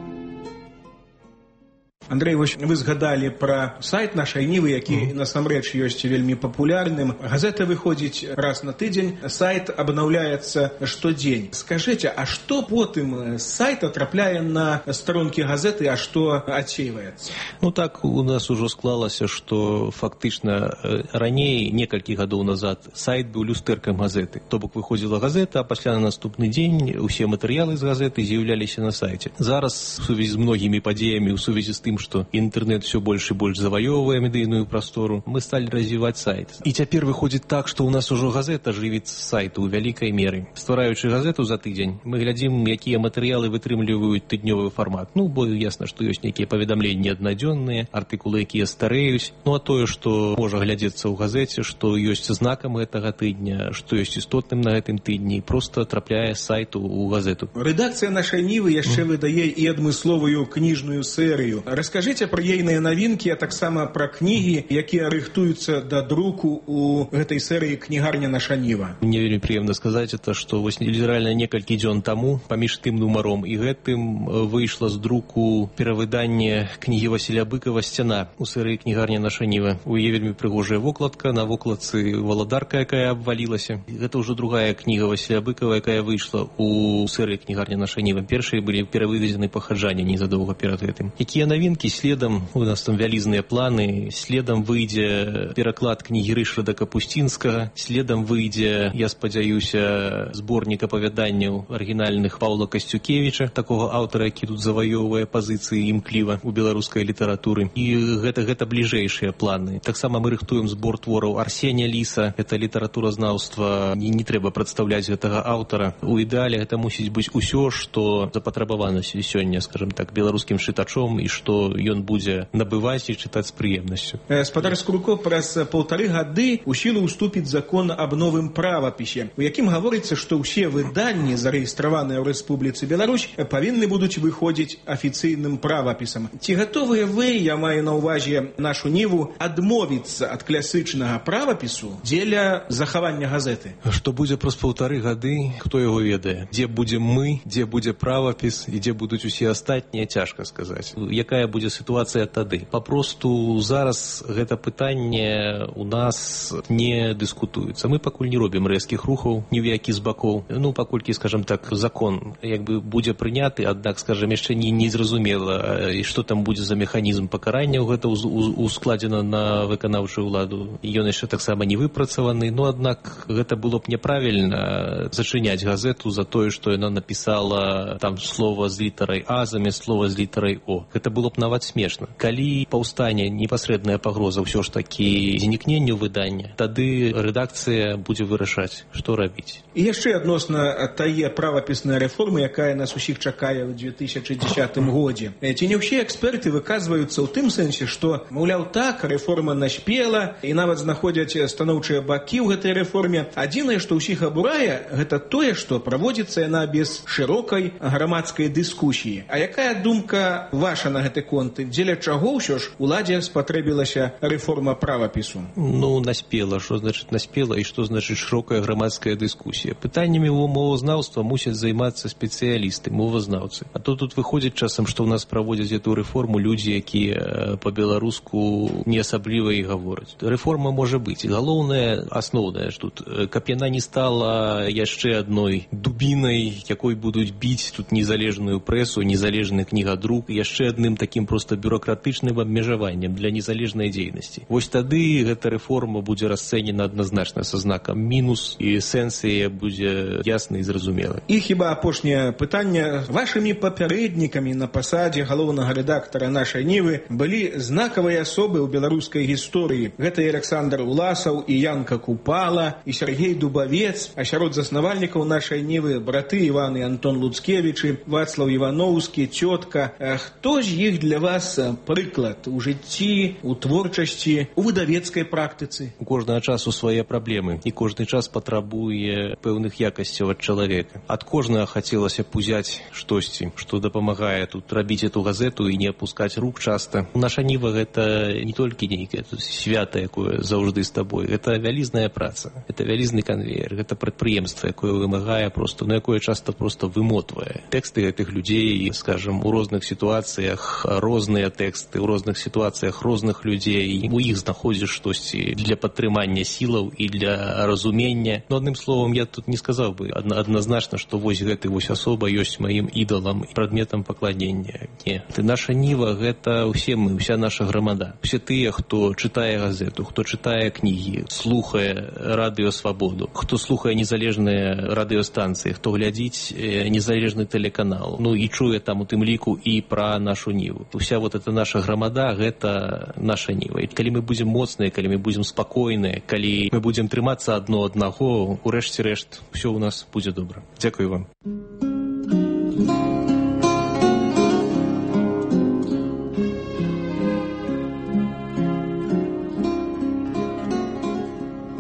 Андрей, вось вы згадалі пра сайт нашай Нівы, які насамрэч ёсць вельмі папулярным. Газета выходзіць раз на тыдзень, сайт абнаўляецца штодзень. Скажыце, а што потым з сайта трапляе на старонкі газеты, а што адсейваецца? Ну так у нас ужо склалася, што фактычна раней, некалькі гадоў назад, сайт быў люстэркам газеты. То бок выходзіла газета, а пасля на наступны дзень усе матэрыялы з газеты з'яўляліся на сайце. Зараз, у сувязі з многімі падзеямі, у сувязі з тым, што інтэрнэт все больш і больш заваёўвае медыйную прастору, мы сталі развіваць сайт. І цяпер выходзіць так, што ў нас ужо газета жывіць з сайту ў вялікай меры. Ствараючы газету за тыдзень, мы глядзім, якія матэрыялы вытрымліваюць тыднёвы фармат. Ну, бо ясна, што ёсць нейкія паведамленні аднадзённыя, артыкулы, якія старэюць. Ну, а тое, што можа глядзецца ў газеце, што ёсць знакам гэтага тыдня, што ёсць істотным на гэтым тыдні, проста трапляе з сайту ў газету. Рэдакцыя нашай Нівы яшчэ выдае і адмысловую кніжную серыю. Раскажыце пра ейныя навінкі, а таксама пра кнігі, якія рыхтуюцца да друку ў гэтай серыі «Кнігарня наша Ніва». Мне вельмі прыемна сказаць, што вось літаральна некалькі дзён таму паміж тым нумаром і гэтым выйшла з друку перавыданне кнігі Васіля Быкова «Сцяна» у серыі «Кнігарня наша Ніва». У яе вельмі прыгожая вокладка, на вокладцы валадарка, якая абвалілася. Гэта ўжо другая кніга Васіля Быкова, якая выйшла у серыі «Кнігарня наша Ніва». Першыя былі перавыведзены пахаджанне незадоўга перад гэтым. Якія навінкі? Следам, у нас там вялізныя планы, следам выйдзе пераклад кнігі Рышарда Капусцінскага, следам выйдзе, я спадзяюся, зборнік апавяданняў арыгінальных Паўла Касцюкевіча, такога аўтара, які тут заваёўвае пазіцыі імкліва ў беларускай літаратуры. І гэта бліжэйшыя планы. Таксама мы рыхтуем збор твораў Арсенія Ліса, гэта літаратуразнаўства, не трэба прадстаўляць гэтага аўтара. У ідэале гэта мусіць быць усё, што запатрабавана сёння, скажем так, беларускім чытачом, і што ён будзе набываць і чытаць з прыемнасцю. Спадар Скурко, праз 1,5 гады ў сілу ўступіць закон аб новым правапісе, у якім гаворыцца, што ўсе выданні, зарэгістраваныя ў Рэспубліцы Беларусь, павінны будуць выходзіць афіцыйным правапісам. Ці гатовыя вы, я маю на ўвазе нашу Ніву, адмовіцца ад класычнага правапісу дзеля захавання газеты? Што будзе праз 1,5 гады, хто яго ведае? Дзе будзем мы, дзе будзе правапіс і дзе будуць усе астатнія, цяжка сказаць. Якая будзе сітуацыя тады? Папросту зараз гэта пытанне у нас не дыскутуецца. Мы пакуль не робім рэзкіх рухаў ні ў які з бакоў. Ну, паколькі, скажем так, закон як бы будзе прыняты, аднак, скажем, яшчэ не зразумела, і што там будзе за механізм пакарання, гэта ускладзена на выканаўчую ўладу. Ён яшчэ таксама не выпрацаваны, но аднак гэта было б няправільна зачыняць газету за тое, што яна напісала там слова з літарай А замест слова з літарай О. Гэта было б нават смешна. Калі паўстане непасрэдная пагроза ўсё ж такі знікненню выдання, тады рэдакцыя будзе вырашаць, што рабіць. І яшчэ адносна тае правапіснай рэформы, якая нас усіх чакае ў 2010 годзе. Ці не ўсе эксперты выказваюцца ў тым сэнсе, што, маўляў, так, рэформа наспела, і нават знаходзяць станоўчыя бакі ў гэтай рэформе. Адзінае, што ўсіх абурае, гэта тое, што праводзіцца яна без шырокай грамадскай дыскусіі. А якая думка ваша на гэты конт? Дзеля чаго ўсё ж уладзе спатрэбілася рэформа правапісу? Ну, наспела. Што значыць наспела і што значыць шырокая грамадская дыскусія? Пытаннямі мовазнаўства мусяць займацца спецыялісты, мовазнаўцы. А то тут выходзіць часам, што ў нас праводзяць эту рэформу людзі, якія па-беларуску не асабліва і гавораць. Рэформа можа быць. Галоўнае, асноўнае ж тут, каб яна не стала яшчэ адной дубінай, якой будуць біць тут незалежную прэсу, незалежны кнігадрук, яшчэ адным такім проста бюрократычным абмежаваннем для незалежнай дзейнасці. Вось тады гэта рэформа будзе расцэнена адназначна са знакам мінус, і сэнс яе будзе ясны і зразумелы. І хіба апошняе пытанне. Вашымі папярэднікамі на пасадзе галоўнага рэдактара нашай Нівы былі знакавыя асобы ў беларускай гісторыі. Гэта і Александр Уласаў, і Янка Купала, і Сергей Дубавец, а сярод заснавальнікаў нашай Нівы браты Іван і Антон Луцкевічы, Вацлаў Івановскі, цётка. Хто з іх для вас прыклад у жыцці, у творчасці, у выдавецкай практыцы? У кожнага часу свае праблемы, і кожны час патрабуе пэўных якасцяў ад чалавека. Ад кожнага хацелася б узяць штосьці, што дапамагае тут рабіць эту газету і не апускаць рук часта. Наша Ніва гэта не толькі нейкае свята, якое заўжды з табой. Гэта вялізная праца, гэта вялізны канвеер, гэта прадпрыемства, якое вымагае просто, якое часта просто вымотвае. Тэксты гэтых людзей, скажем, у розных сітуацыях розныя тэксты ў розных сітуацыях розных людзей, і у іх знаходзіш штосьці для падтрымання сілаў і для разумення. Но адным словам, я тут не сказаў бы адназначна, што вось гэты вось асоба ёсць маім ідалам, прадметам пакланення. Не. Наша ніва — гэта ўсе мы, уся наша грамада. Усе тыя, хто чытае газету, хто чытае кнігі, слухае радыё Свабоду, хто слухае незалежныя радыёстанцыі, хто глядзіць незалежны тэлеканал, ну і чуе там у тым ліку і пра нашу ніву. Уся вот эта наша грамада — гэта наша ніва. І калі мы будзем моцныя, калі мы будзем спакойныя, калі мы будзем трымацца адно аднаго, у рэшце рэшт усё ў нас будзе добра. Дзякую вам.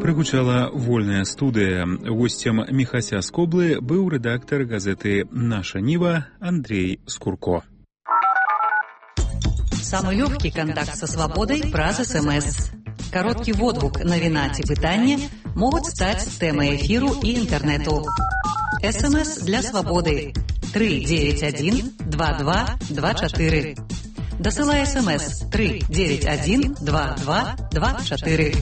Прагучала вольная студыя. Госцем Міхася Скоблы быў рэдактар газеты «Наша Нива» Андрей Скурко. Самый легкий контакт со свободой праз СМС. Короткий водгук, навіна ці пытання могут стать темой эфиру и интернету. СМС для свободы 391-2224. Досылай СМС 391-2224.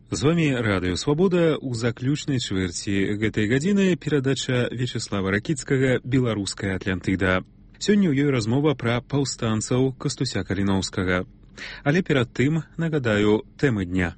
З вами Радыё Свабода. У заключнай чвэрці гэтай гадзіны перадача Вячеслава Ракіцкага «Беларуская Атлантыда». Сёння ў ёй размова пра паўстанцаў Кастуся Каліноўскага. Але перад тым нагадаю тэмы дня.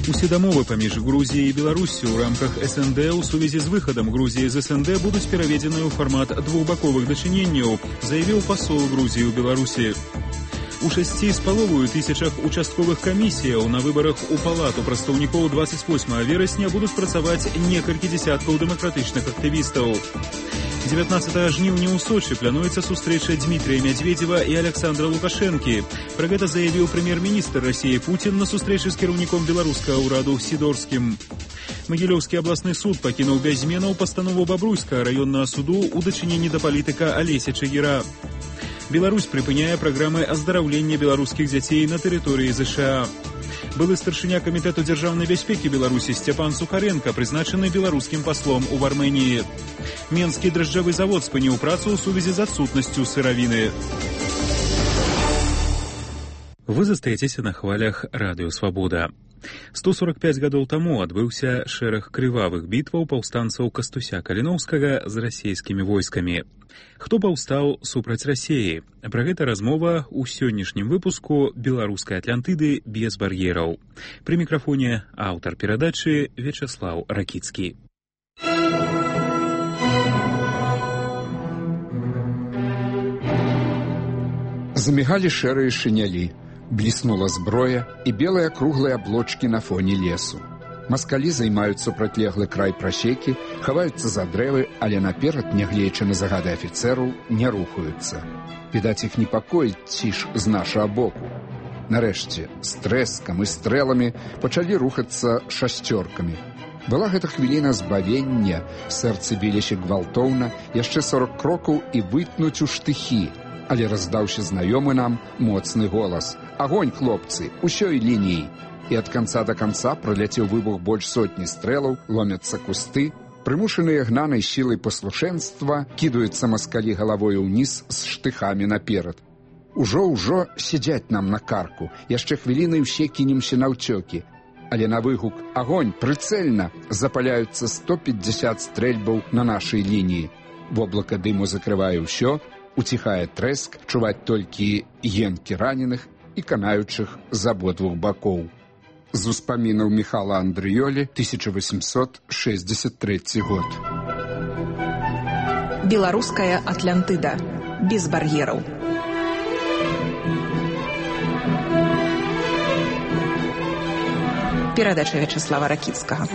Усе дамовы паміж Грузіяй і Беларусю ў рамках СНД ў сувязі з выхадам Грузіі з СНД будуць пераведзены ў фармат двухбаковых дачыненняў, заявіў пасол Грузіі ў Беларусі. У 6,5 тысячах участковых камісіяў на выбарах у палату прадстаўнікоў 28 верасня будуць працаваць некалькі дзесяткаў дэмакратычных актывістаў. 19 жніўня ў Сочы плануецца сустрэча Дмітрия Медведева і Александра Лукашэнкі. Пра гэта заявіў прэм'ер-міністр Расіі Путін на сустрэчы з кіраўніком беларускага ўраду Сідорскім. Магілёўскі абласны суд пакінуў без зменаў пастанову Бабруйскага раённага суду ў дачыненні да палітыка Алеся Чагіра. Беларусь прыпыняе праграмы аздараўлення беларускіх дзяцей на тэрыторыі ЗША. Былы старшыня камітэту дзяржаўнай бяспекі Беларусі Сцяпан Сухаренко прызначаны беларускім паслом у Арменіі. Менскі дражджавы завод спыніў працу ў сувязі з адсутнасцю сыравіны. Вы застаецеся на хвалях Радыё Свабода. 145 гадоў таму адбыўся шэраг крывавых бітваў паўстанцаў Кастуся Каліноўскага з расійскімі войскамі. Хто паўстаў супраць Расіі? Пра гэта размова ў сённяшнім выпуску «Беларускай Атлантыды без бар'ераў». Пры мікрафоне аўтар перадачы Вячеслав Ракіцкі. Замігалі шэрыя шынялі. Бліснула зброя і белыя круглыя аблочкі на фоне лесу. Маскалі займаюць супрацьлеглы край прасекі, хаваюцца за дрэвы, але наперад, нягледзячы на загады афіцэраў, не рухаюцца. Відаць, іх непакоіць ціш з нашага боку. Нарэшце, з трэскам і стрэламі пачалі рухацца шасцёркамі. Была гэта хвіліна збавення, сэрцы біліся гвалтоўна, яшчэ 40 крокаў і вытнуць у штыхі. Але раздаўся знаёмы нам моцны голас: «Агонь, хлопцы, усёй лініі!» І ад канца да канца праляцеў выбух больш сотні стрэлаў, ломяцца кусты, прымушаныя гнанай сілай паслушэнства кідаюцца маскалі галавою ўніз з штыхамі наперад. Ужо сядзяць нам на карку, яшчэ хвілінай усе кінемся наўцёкі. Але на выгук «Агонь, прыцэльна!» запаляюцца 150 стрэльбаў на нашай лініі. Воблака дыму закрывае ўсё, уціхае трэск, чуваць толькі енкі раненых і канаючых з абодвух бакоў. З успамінаў Міхала Андрыёлі, 1863 год. Беларуская Атлантыда. Без бар'ераў. Перадача Вячеслава Ракіцкага.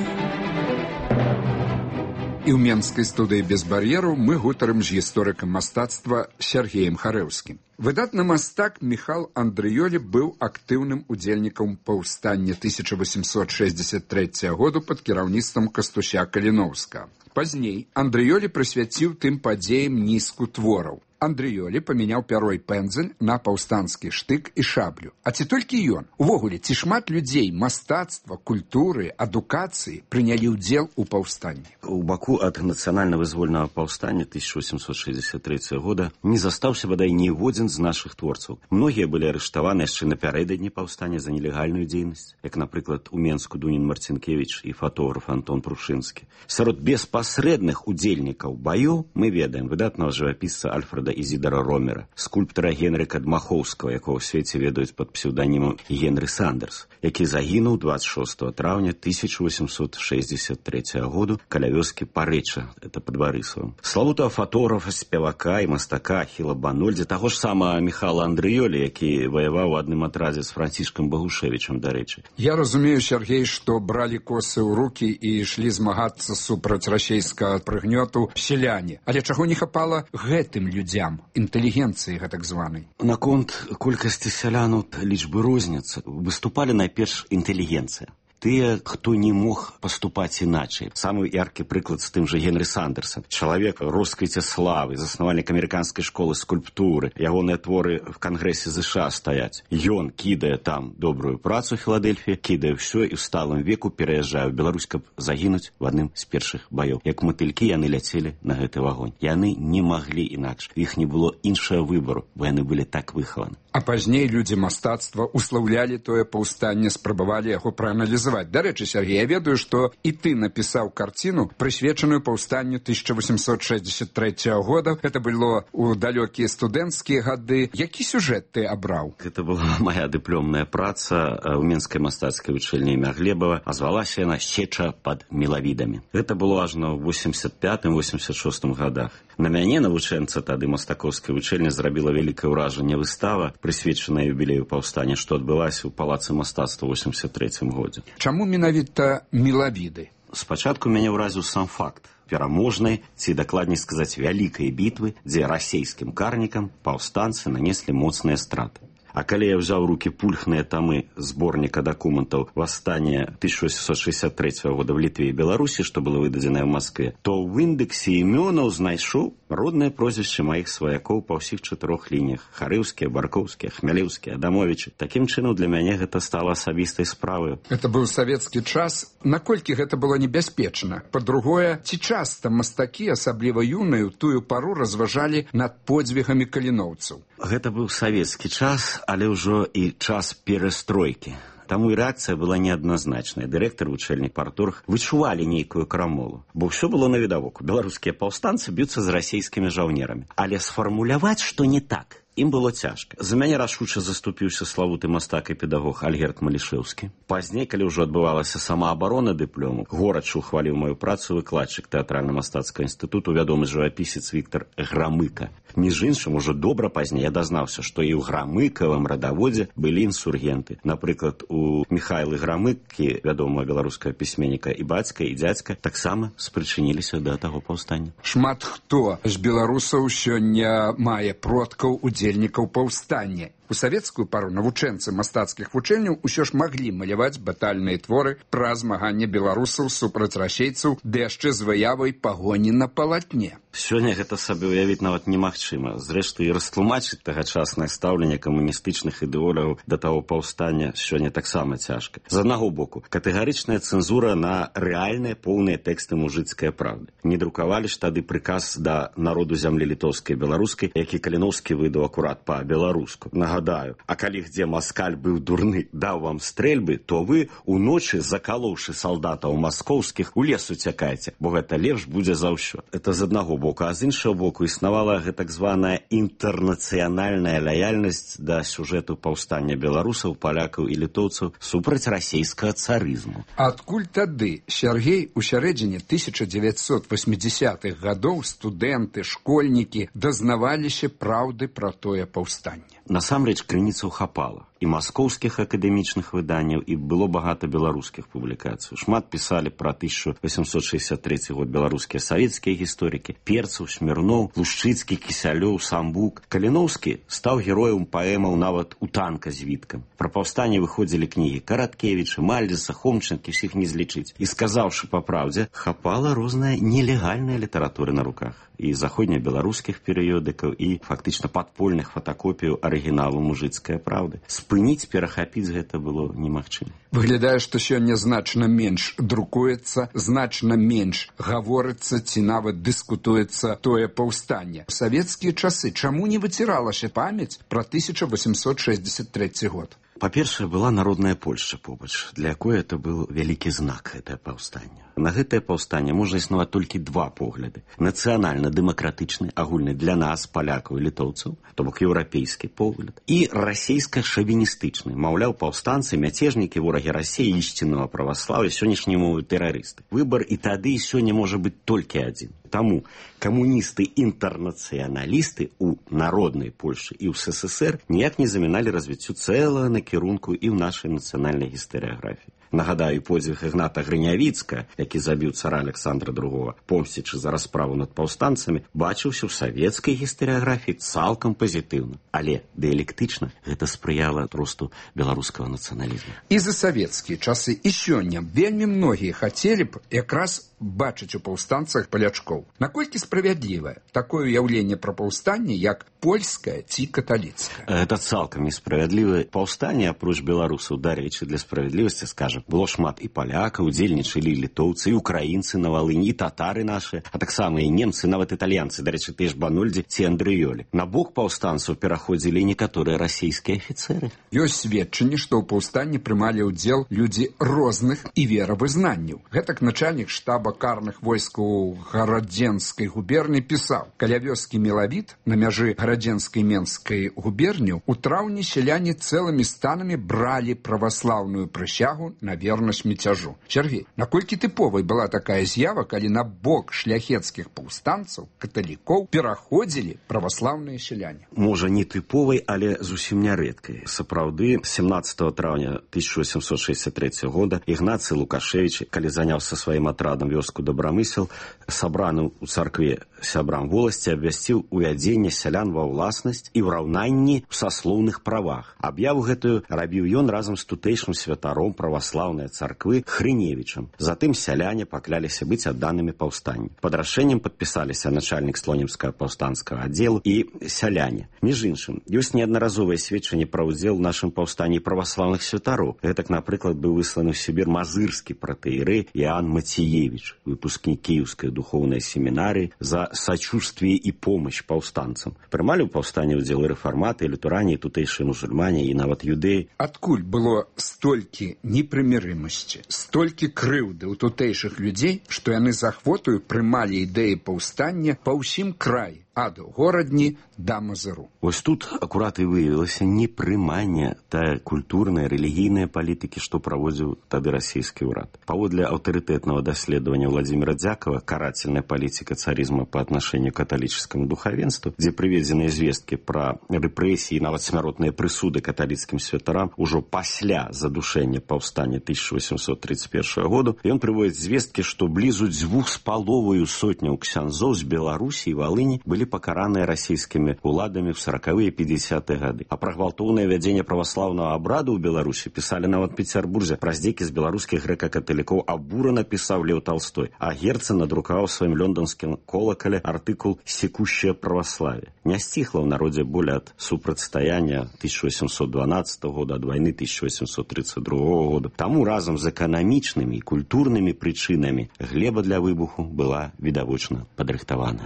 І ў менскай студыі без бар'ераў мы гутарым з гісторыкам мастацтва Сергеем Харэўскім. Выдатны мастак Міхал Андрыёлі быў актыўным удзельнікам паўстання 1863 году пад кіраўніцтвам Кастуся Каліноўскага. Пазней Андрыёлі прысвяціў тым падзеям нізку твораў. Андрыёлі памяняў пяро і пэндзель на паўстанскі штык і шаблю. А ці толькі ён? Увогуле, ці шмат людзей мастацтва, культуры, адукацыі прынялі ўдзел у паўстанні? У Баку ад нацыянальна-вызвольнага паўстання 1863 года не застаўся бадай ніводзін з нашых творцаў. Многія былі арыштаваны яшчэ напярэдадні паўстання за нелегальную дзейнасць, як, напрыклад, у Менску Дунін Марцінкевіч і фотограф Антон Прушынскі. Сярод беспасрэдных удзельнікаў баёў мы ведаем выдатнага жывапісца Альфреда Ізідара Ромера, скульптара Генрыка Дмахоўскага, якого ў свеце ведаюць пад псеўданімам Генры Сандерс, які загінуў 26 траўня 1863 году каля вёскі Парэча, это пад Барысавым. Славутага фотографа, спевака і мастака Ахіла Банольдзі, таго ж самага Міхала Андрыёлі, які ваяваў у адным атрадзе з Францішкам Багушевічам, дарэчы. Я разумею, Сергей, што бралі косы ў рукі і ішлі змагацца супраць расейскага прыгнёту сяляне. Але чаго не хапала гэтым людзям, інтэлігенцыі гэтак званай? Наконт колькасці сялянаў лічбы розніцы. Выступалі найперш інтэлігенцыя. Тыя, хто не мог паступаць іначай. Самы яркі прыклад з тым жа Генры Сандерсом. Чалавек росквіце славы, заснавальнік амерыканскай школы скульптуры. Ягоныя творы в Кангрэсе ЗША стаяць. Ён кідае там добрую працу ў Філадельфіі, кідае ўсё і ў сталым веку пераязджае ў Беларусь, каб загінуць в адным з першых баёў. Як матылькі яны ляцелі на гэты вагонь. Яны не маглі інакш. У іх не было іншага выбару, бо яны былі так выхаваны. А пазней людзі мастацтва услаўлялі тое паўстанне, спрабавалі яго прааналізаваць. Дарэчы, Сергей, я ведаю, што і ты напісаў карціну, прысвечаную паўстанню 1863 года. Гэта было ў далёкія студэнцкія гады. Які сюжэт ты абраў? Гэта была моя дыпломная праца ў Менскай мастацкай вучэльні імя Глебава, а звалася яна «Сеча пад мелавідамі». Гэта было ажно ў 85-86 годах. На мяне, навучэнца тады мастакоўскай вучэльні, зрабіла вялікае ўражанне выстава, прысвечаная юбілею паўстання, што адбылася ў палацы мастацтва ў 83 годзе. Чаму менавіта мелавіды? Спачатку мяне ўразіў сам факт пераможнай, ці дакладней сказаць, вялікай бітвы, дзе расейскім карнікам паўстанцы нанеслі моцныя страты. А калі я ўзяў у рукі пульхныя тамы зборніка дакументаў «Восстання» 1863 года в Літве і Беларусі, што было выдадзенае ў Маскве, то ў індексе імёнаў знайшоў роднае прозвішча маіх сваякоў па ўсіх 4 лініях. Харыўскія, Баркоўскія, Хмялеўскія, Адамовічы. Такім чынам, для мяне гэта стала асабістай справай. Гэта быў савецкі час. Наколькі гэта было небяспечна? Па-другое, ці часта мастакі, асабліва юныя, у тую пару разважалі над подзвігамі каліноўцаў? Гэта быў савецкі час, але ўжо і час перастройкі. Таму і рэакцыя была неадназначная. Дырэктар, вучэльнік, парторг вычувалі нейкую крамолу. Бо ўсё было навідавоку. Беларускія паўстанцы б'юцца з расейскімі жаўнерамі. Але сфармуляваць, што не так, ім было цяжка. За мяне рашуча заступіўся славуты мастак і педагог Альгерд Малішэўскі. Пазней, калі ўжо адбывалася самаабарона дыплому, горача ухваліў маю працу выкладчык тэатральна-мастацкага інстытуту, вядомы жывапісец Віктар Грамыка. Між іншым, ужо добра пазней я дазнаўся, што і ў Грамыкавым радаводзе былі інсургенты. Напрыклад, у Міхайлы Грамыкі, вядомага беларускага пісьменніка, і бацька, і дзядзька таксама спрычыніліся да таго паўстання. Шмат хто з беларусаў сёння мае продкаў удзельнікаў паўстання. У савецкую пару навучэнцы мастацкіх вучэльняў усё ж маглі маляваць батальныя творы пра змаганне беларусаў супраць расейцаў, ды яшчэ з выявай пагоні на палатне. Сёння гэта сабе ўявіць нават немагчыма. Зрэшты, і растлумачыць тагачаснае стаўленне камуністычных ідэолагаў да таго паўстання сёння таксама цяжка. З аднаго боку, катэгарычная цэнзура на рэальныя поўныя тэксты мужыцкай правды. Не друкавалі ж тады прыказ да народу зямлі літоўскай і беларускай, які Каліноўскі выдаў акурат па-беларуску. Нагадаю, а калі где маскаль быў дурны, даў вам стрэльбы, то вы уночы, закалоўшы салдатаў маскоўскіх, у лес уцякаеце, бо гэта лепш будзе за ўсё. Это з аднаго боку, а з іншага боку існавала гэтак званая інтэрнацыянальная лаяльнасць да сюжэту паўстання беларусаў, палякаў і літоўцаў супраць расейскага царызму. Адкуль тады, Сергей, у сярэдзіне 1980-х гадоў студэнты, школьнікі дазнаваліся праўды пра тое паўстанне? Насамрэч, крыніцаў хапала. і маскоўскіх акадэмічных выданняў, і было багата беларускіх публікацый. Шмат пісалі пра 1863 год беларускія савецкія гісторыкі: Перцаў, Смірноў, Лушчыцкі, Кісялёў, Самбук. Каліноўскі стаў героем паэмаў нават у танка з Віткам. Пра паўстанне выходзілі кнігі Караткевіча, Мальдзеса, Хомчынкі, усіх не злічыць. І сказаўшы па праўдзе, хапала розная нелегальная літаратура на руках. І заходнебеларускіх перыёдыкаў, і фактычна падпольных фотакопіяў арыгіналу мужыцкай праўды. Спыніць, перахапіць гэта было немагчыма. Выглядае, што сёння значна менш друкуецца, значна менш гаворыцца ці нават дыскутуецца тое паўстанне. У савецкія часы чаму не выціралася памяць пра 1863 год? Па-першае, была народная Польшча побач, для якой это быў вялікі знак, гэтае паўстанне. На гэтае паўстанне можна існаваць толькі два погляды. Нацыянальна-дэмакратычны, агульны для нас, палякаў і літоўцаў, то бок еўрапейскі погляд, і расійска-шавіністычны. Маўляў, паўстанцы, мяцежнікі, ворагі Расіі, ісціннага праваслаўя, сённяшняй мовы тэрарысты. Выбар і тады, і сёння можа быць толькі адзін. Таму камуністы-інтэрнацыяналісты ў народнай Польшы і ў СССР ніяк не заміналі развіццю цэлага накірунку і ў нашай нацыянальнай гістарыяграфіі. Нагадаю, подзвіг Ігната Грынявіцка, які забіў цара Александра II, помсцячы за расправу над паўстанцамі, бачыўся ў савецкай гістарыяграфіі цалкам пазітыўна. Але дыялектычна гэта спрыяла росту беларускага нацыяналізму. І за савецкія часы, і сёння вельмі многія хацелі б якраз бачыць у паўстанцах палячкоў. Наколькі справядлівае такое ўяўленне пра паўстанне, як польскае ці каталіцкае? Гэта цалкам несправядлівае. Паўстанне, апроч беларусаў, дарэчы, для справядлівасці, скажам, было шмат і палякаў, удзельнічалі і літоўцы, і украінцы на Валыні, і татары нашы, а таксама і немцы, нават італьянцы, дарэчы, тыя ж Банольдзі ці Андрыёлі. На бок паўстанцаў пераходзілі і некаторыя расійскія афіцэры. Ёсць сведчанне, што ў паўстанні прымалі ўдзел людзі розных і веравызнанняў. Гэтак начальнік штаба карных войскаў Гарадзенскай губерні пісаў: каля вёскі Мелавіт на мяжы Гарадзенскай Менскай губерні у траўні сяляне цэлымі станамі бралі праваслаўную прысягу на вернасць міцяжу. Сергей, наколькі тыповай была такая з'ява, калі на бок шляхецкіх паўстанцаў, каталікоў, пераходзілі праваслаўныя сяляне? Можа, не тыповай, але зусім нярэдкай. Сапраўды, 17 траўня 1863 года Ігнацый Лукашевіч, калі заняўся сваім атрадам вёску Добрамысел, сабраны ў царкве сябрам воласці, абвясціў увядзенне сялян ва ўласнасць і ўраўнанні ў саслоўных правах. Аб'яву гэтую рабіў ён разам з тутэйшым святаром праваслаўнай царквы Хрыневічам. Затым сяляне пакляліся быць адданымі паўстанню. Пад рашэннем падпісаліся начальнік слонімскага паўстанцкага аддзелу і сяляне. Між іншым, ёсць неаднаразовыя сведчанні пра ўдзел у нашым паўстанні праваслаўных святароў. Гэтак, напрыклад, быў высланы ў Сібір мазырскі пратэірэй Іоанн Мацеевіч, выпускнік Кіеўскай духоўнай семінарыі, за сачувствие і помощь паўстанцам. Прымалі ў паўстанні ўдзел рэфарматы, літурані, тутэйшыя мусульмане і нават юдэі. Адкуль было столькі непрымірымасці, столькі крыўды ў тутэйшых людзей, што яны з ахвотаю прымалі ідэі паўстання па ўсім краі, ад горадні да Мазыру? Вось тут акурат і выявілася непрыманне тая культурная, рэлігійная палітыкі, што праводзіў тады расійскі ўрад. Паводле аўтарытэтнага даследавання Владимира Дзякова «Карательная политика царизма по отношению к католическому духовенству», дзе прыведзеныя звесткі пра рэпрэсіі і нават смяротныя прысуды каталіцкім святарам ужо пасля задушэння паўстання 1831 году, ён прыводзіць звесткі, што блізу 2,5 сотняў ксяндзоў з Беларусі і Валыні былі пакараныя расійскімі уладамі в 40-е і 50-е гады. А пра гвалтоўнае вядзенне праваслаўнага абраду ў Беларусі пісалі нават Пецярбурзе. Пра здзекі з беларускіх грэка-каталікоў абурана пісаў Леў Толстой, а Герцен надрукаваў сваім лёнданскім колакале артыкул «Секущее православие». Не сціхла ў народзе боль ад супрацьстаяння 1812 года, ад вайны 1832 года. Таму разам з эканамічнымі і культурнымі прычынамі глеба для выбуху была відавочна падрыхтавана.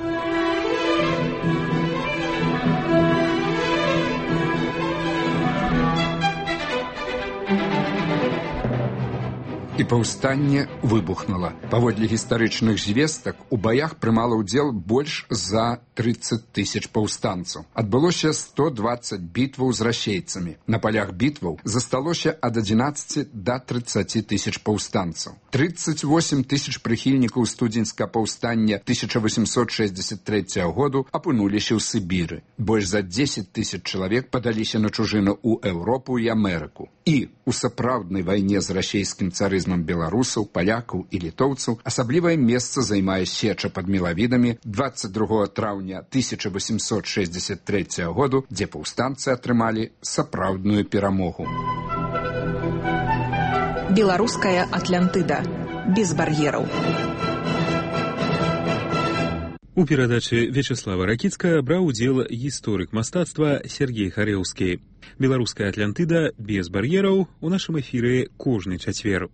І паўстанне выбухнула. Паводле гістарычных звестак, у баях прымала ўдзел больш за 30 000 паўстанцаў. Адбылося 120 бітваў з расейцамі. На палях бітваў засталося ад 11 до 30 000 паўстанцаў. 38 000 прыхільнікаў студзеньскага паўстання 1863 году апынуліся ў Сібіры. Больш за 10 000 чалавек падаліся на чужыну ў Еўропу і Амерыку. І у сапраўднай вайне з расейскім царызмам беларусаў, палякаў і літоўцаў асаблівае месца займае сеча пад Мелавідамі 22 траўня 1863 году, дзе паўстанцы атрымалі сапраўдную перамогу. Беларуская Атлантыда. Без бар'ераў. У перадачы Вячеслава Ракіцкага браў удзел гісторык мастацтва Сергей Харэўскі. Беларуская Атлантыда без бар'ераў у нашым эфіры кожны чацвер.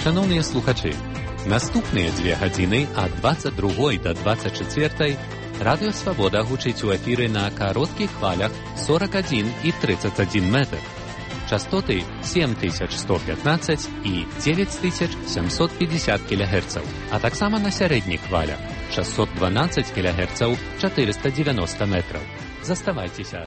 Шановныя слухачы, наступныя 2 гадзіны ад 22 до 24 Радыё Свабода гучыць у эфіры на кароткіх хвалях 41 і 31 метр. Частоты 7115 і 9750 кГц, а таксама на сярэдніх хвалях 612 кГц 490 метраў. Заставайцеся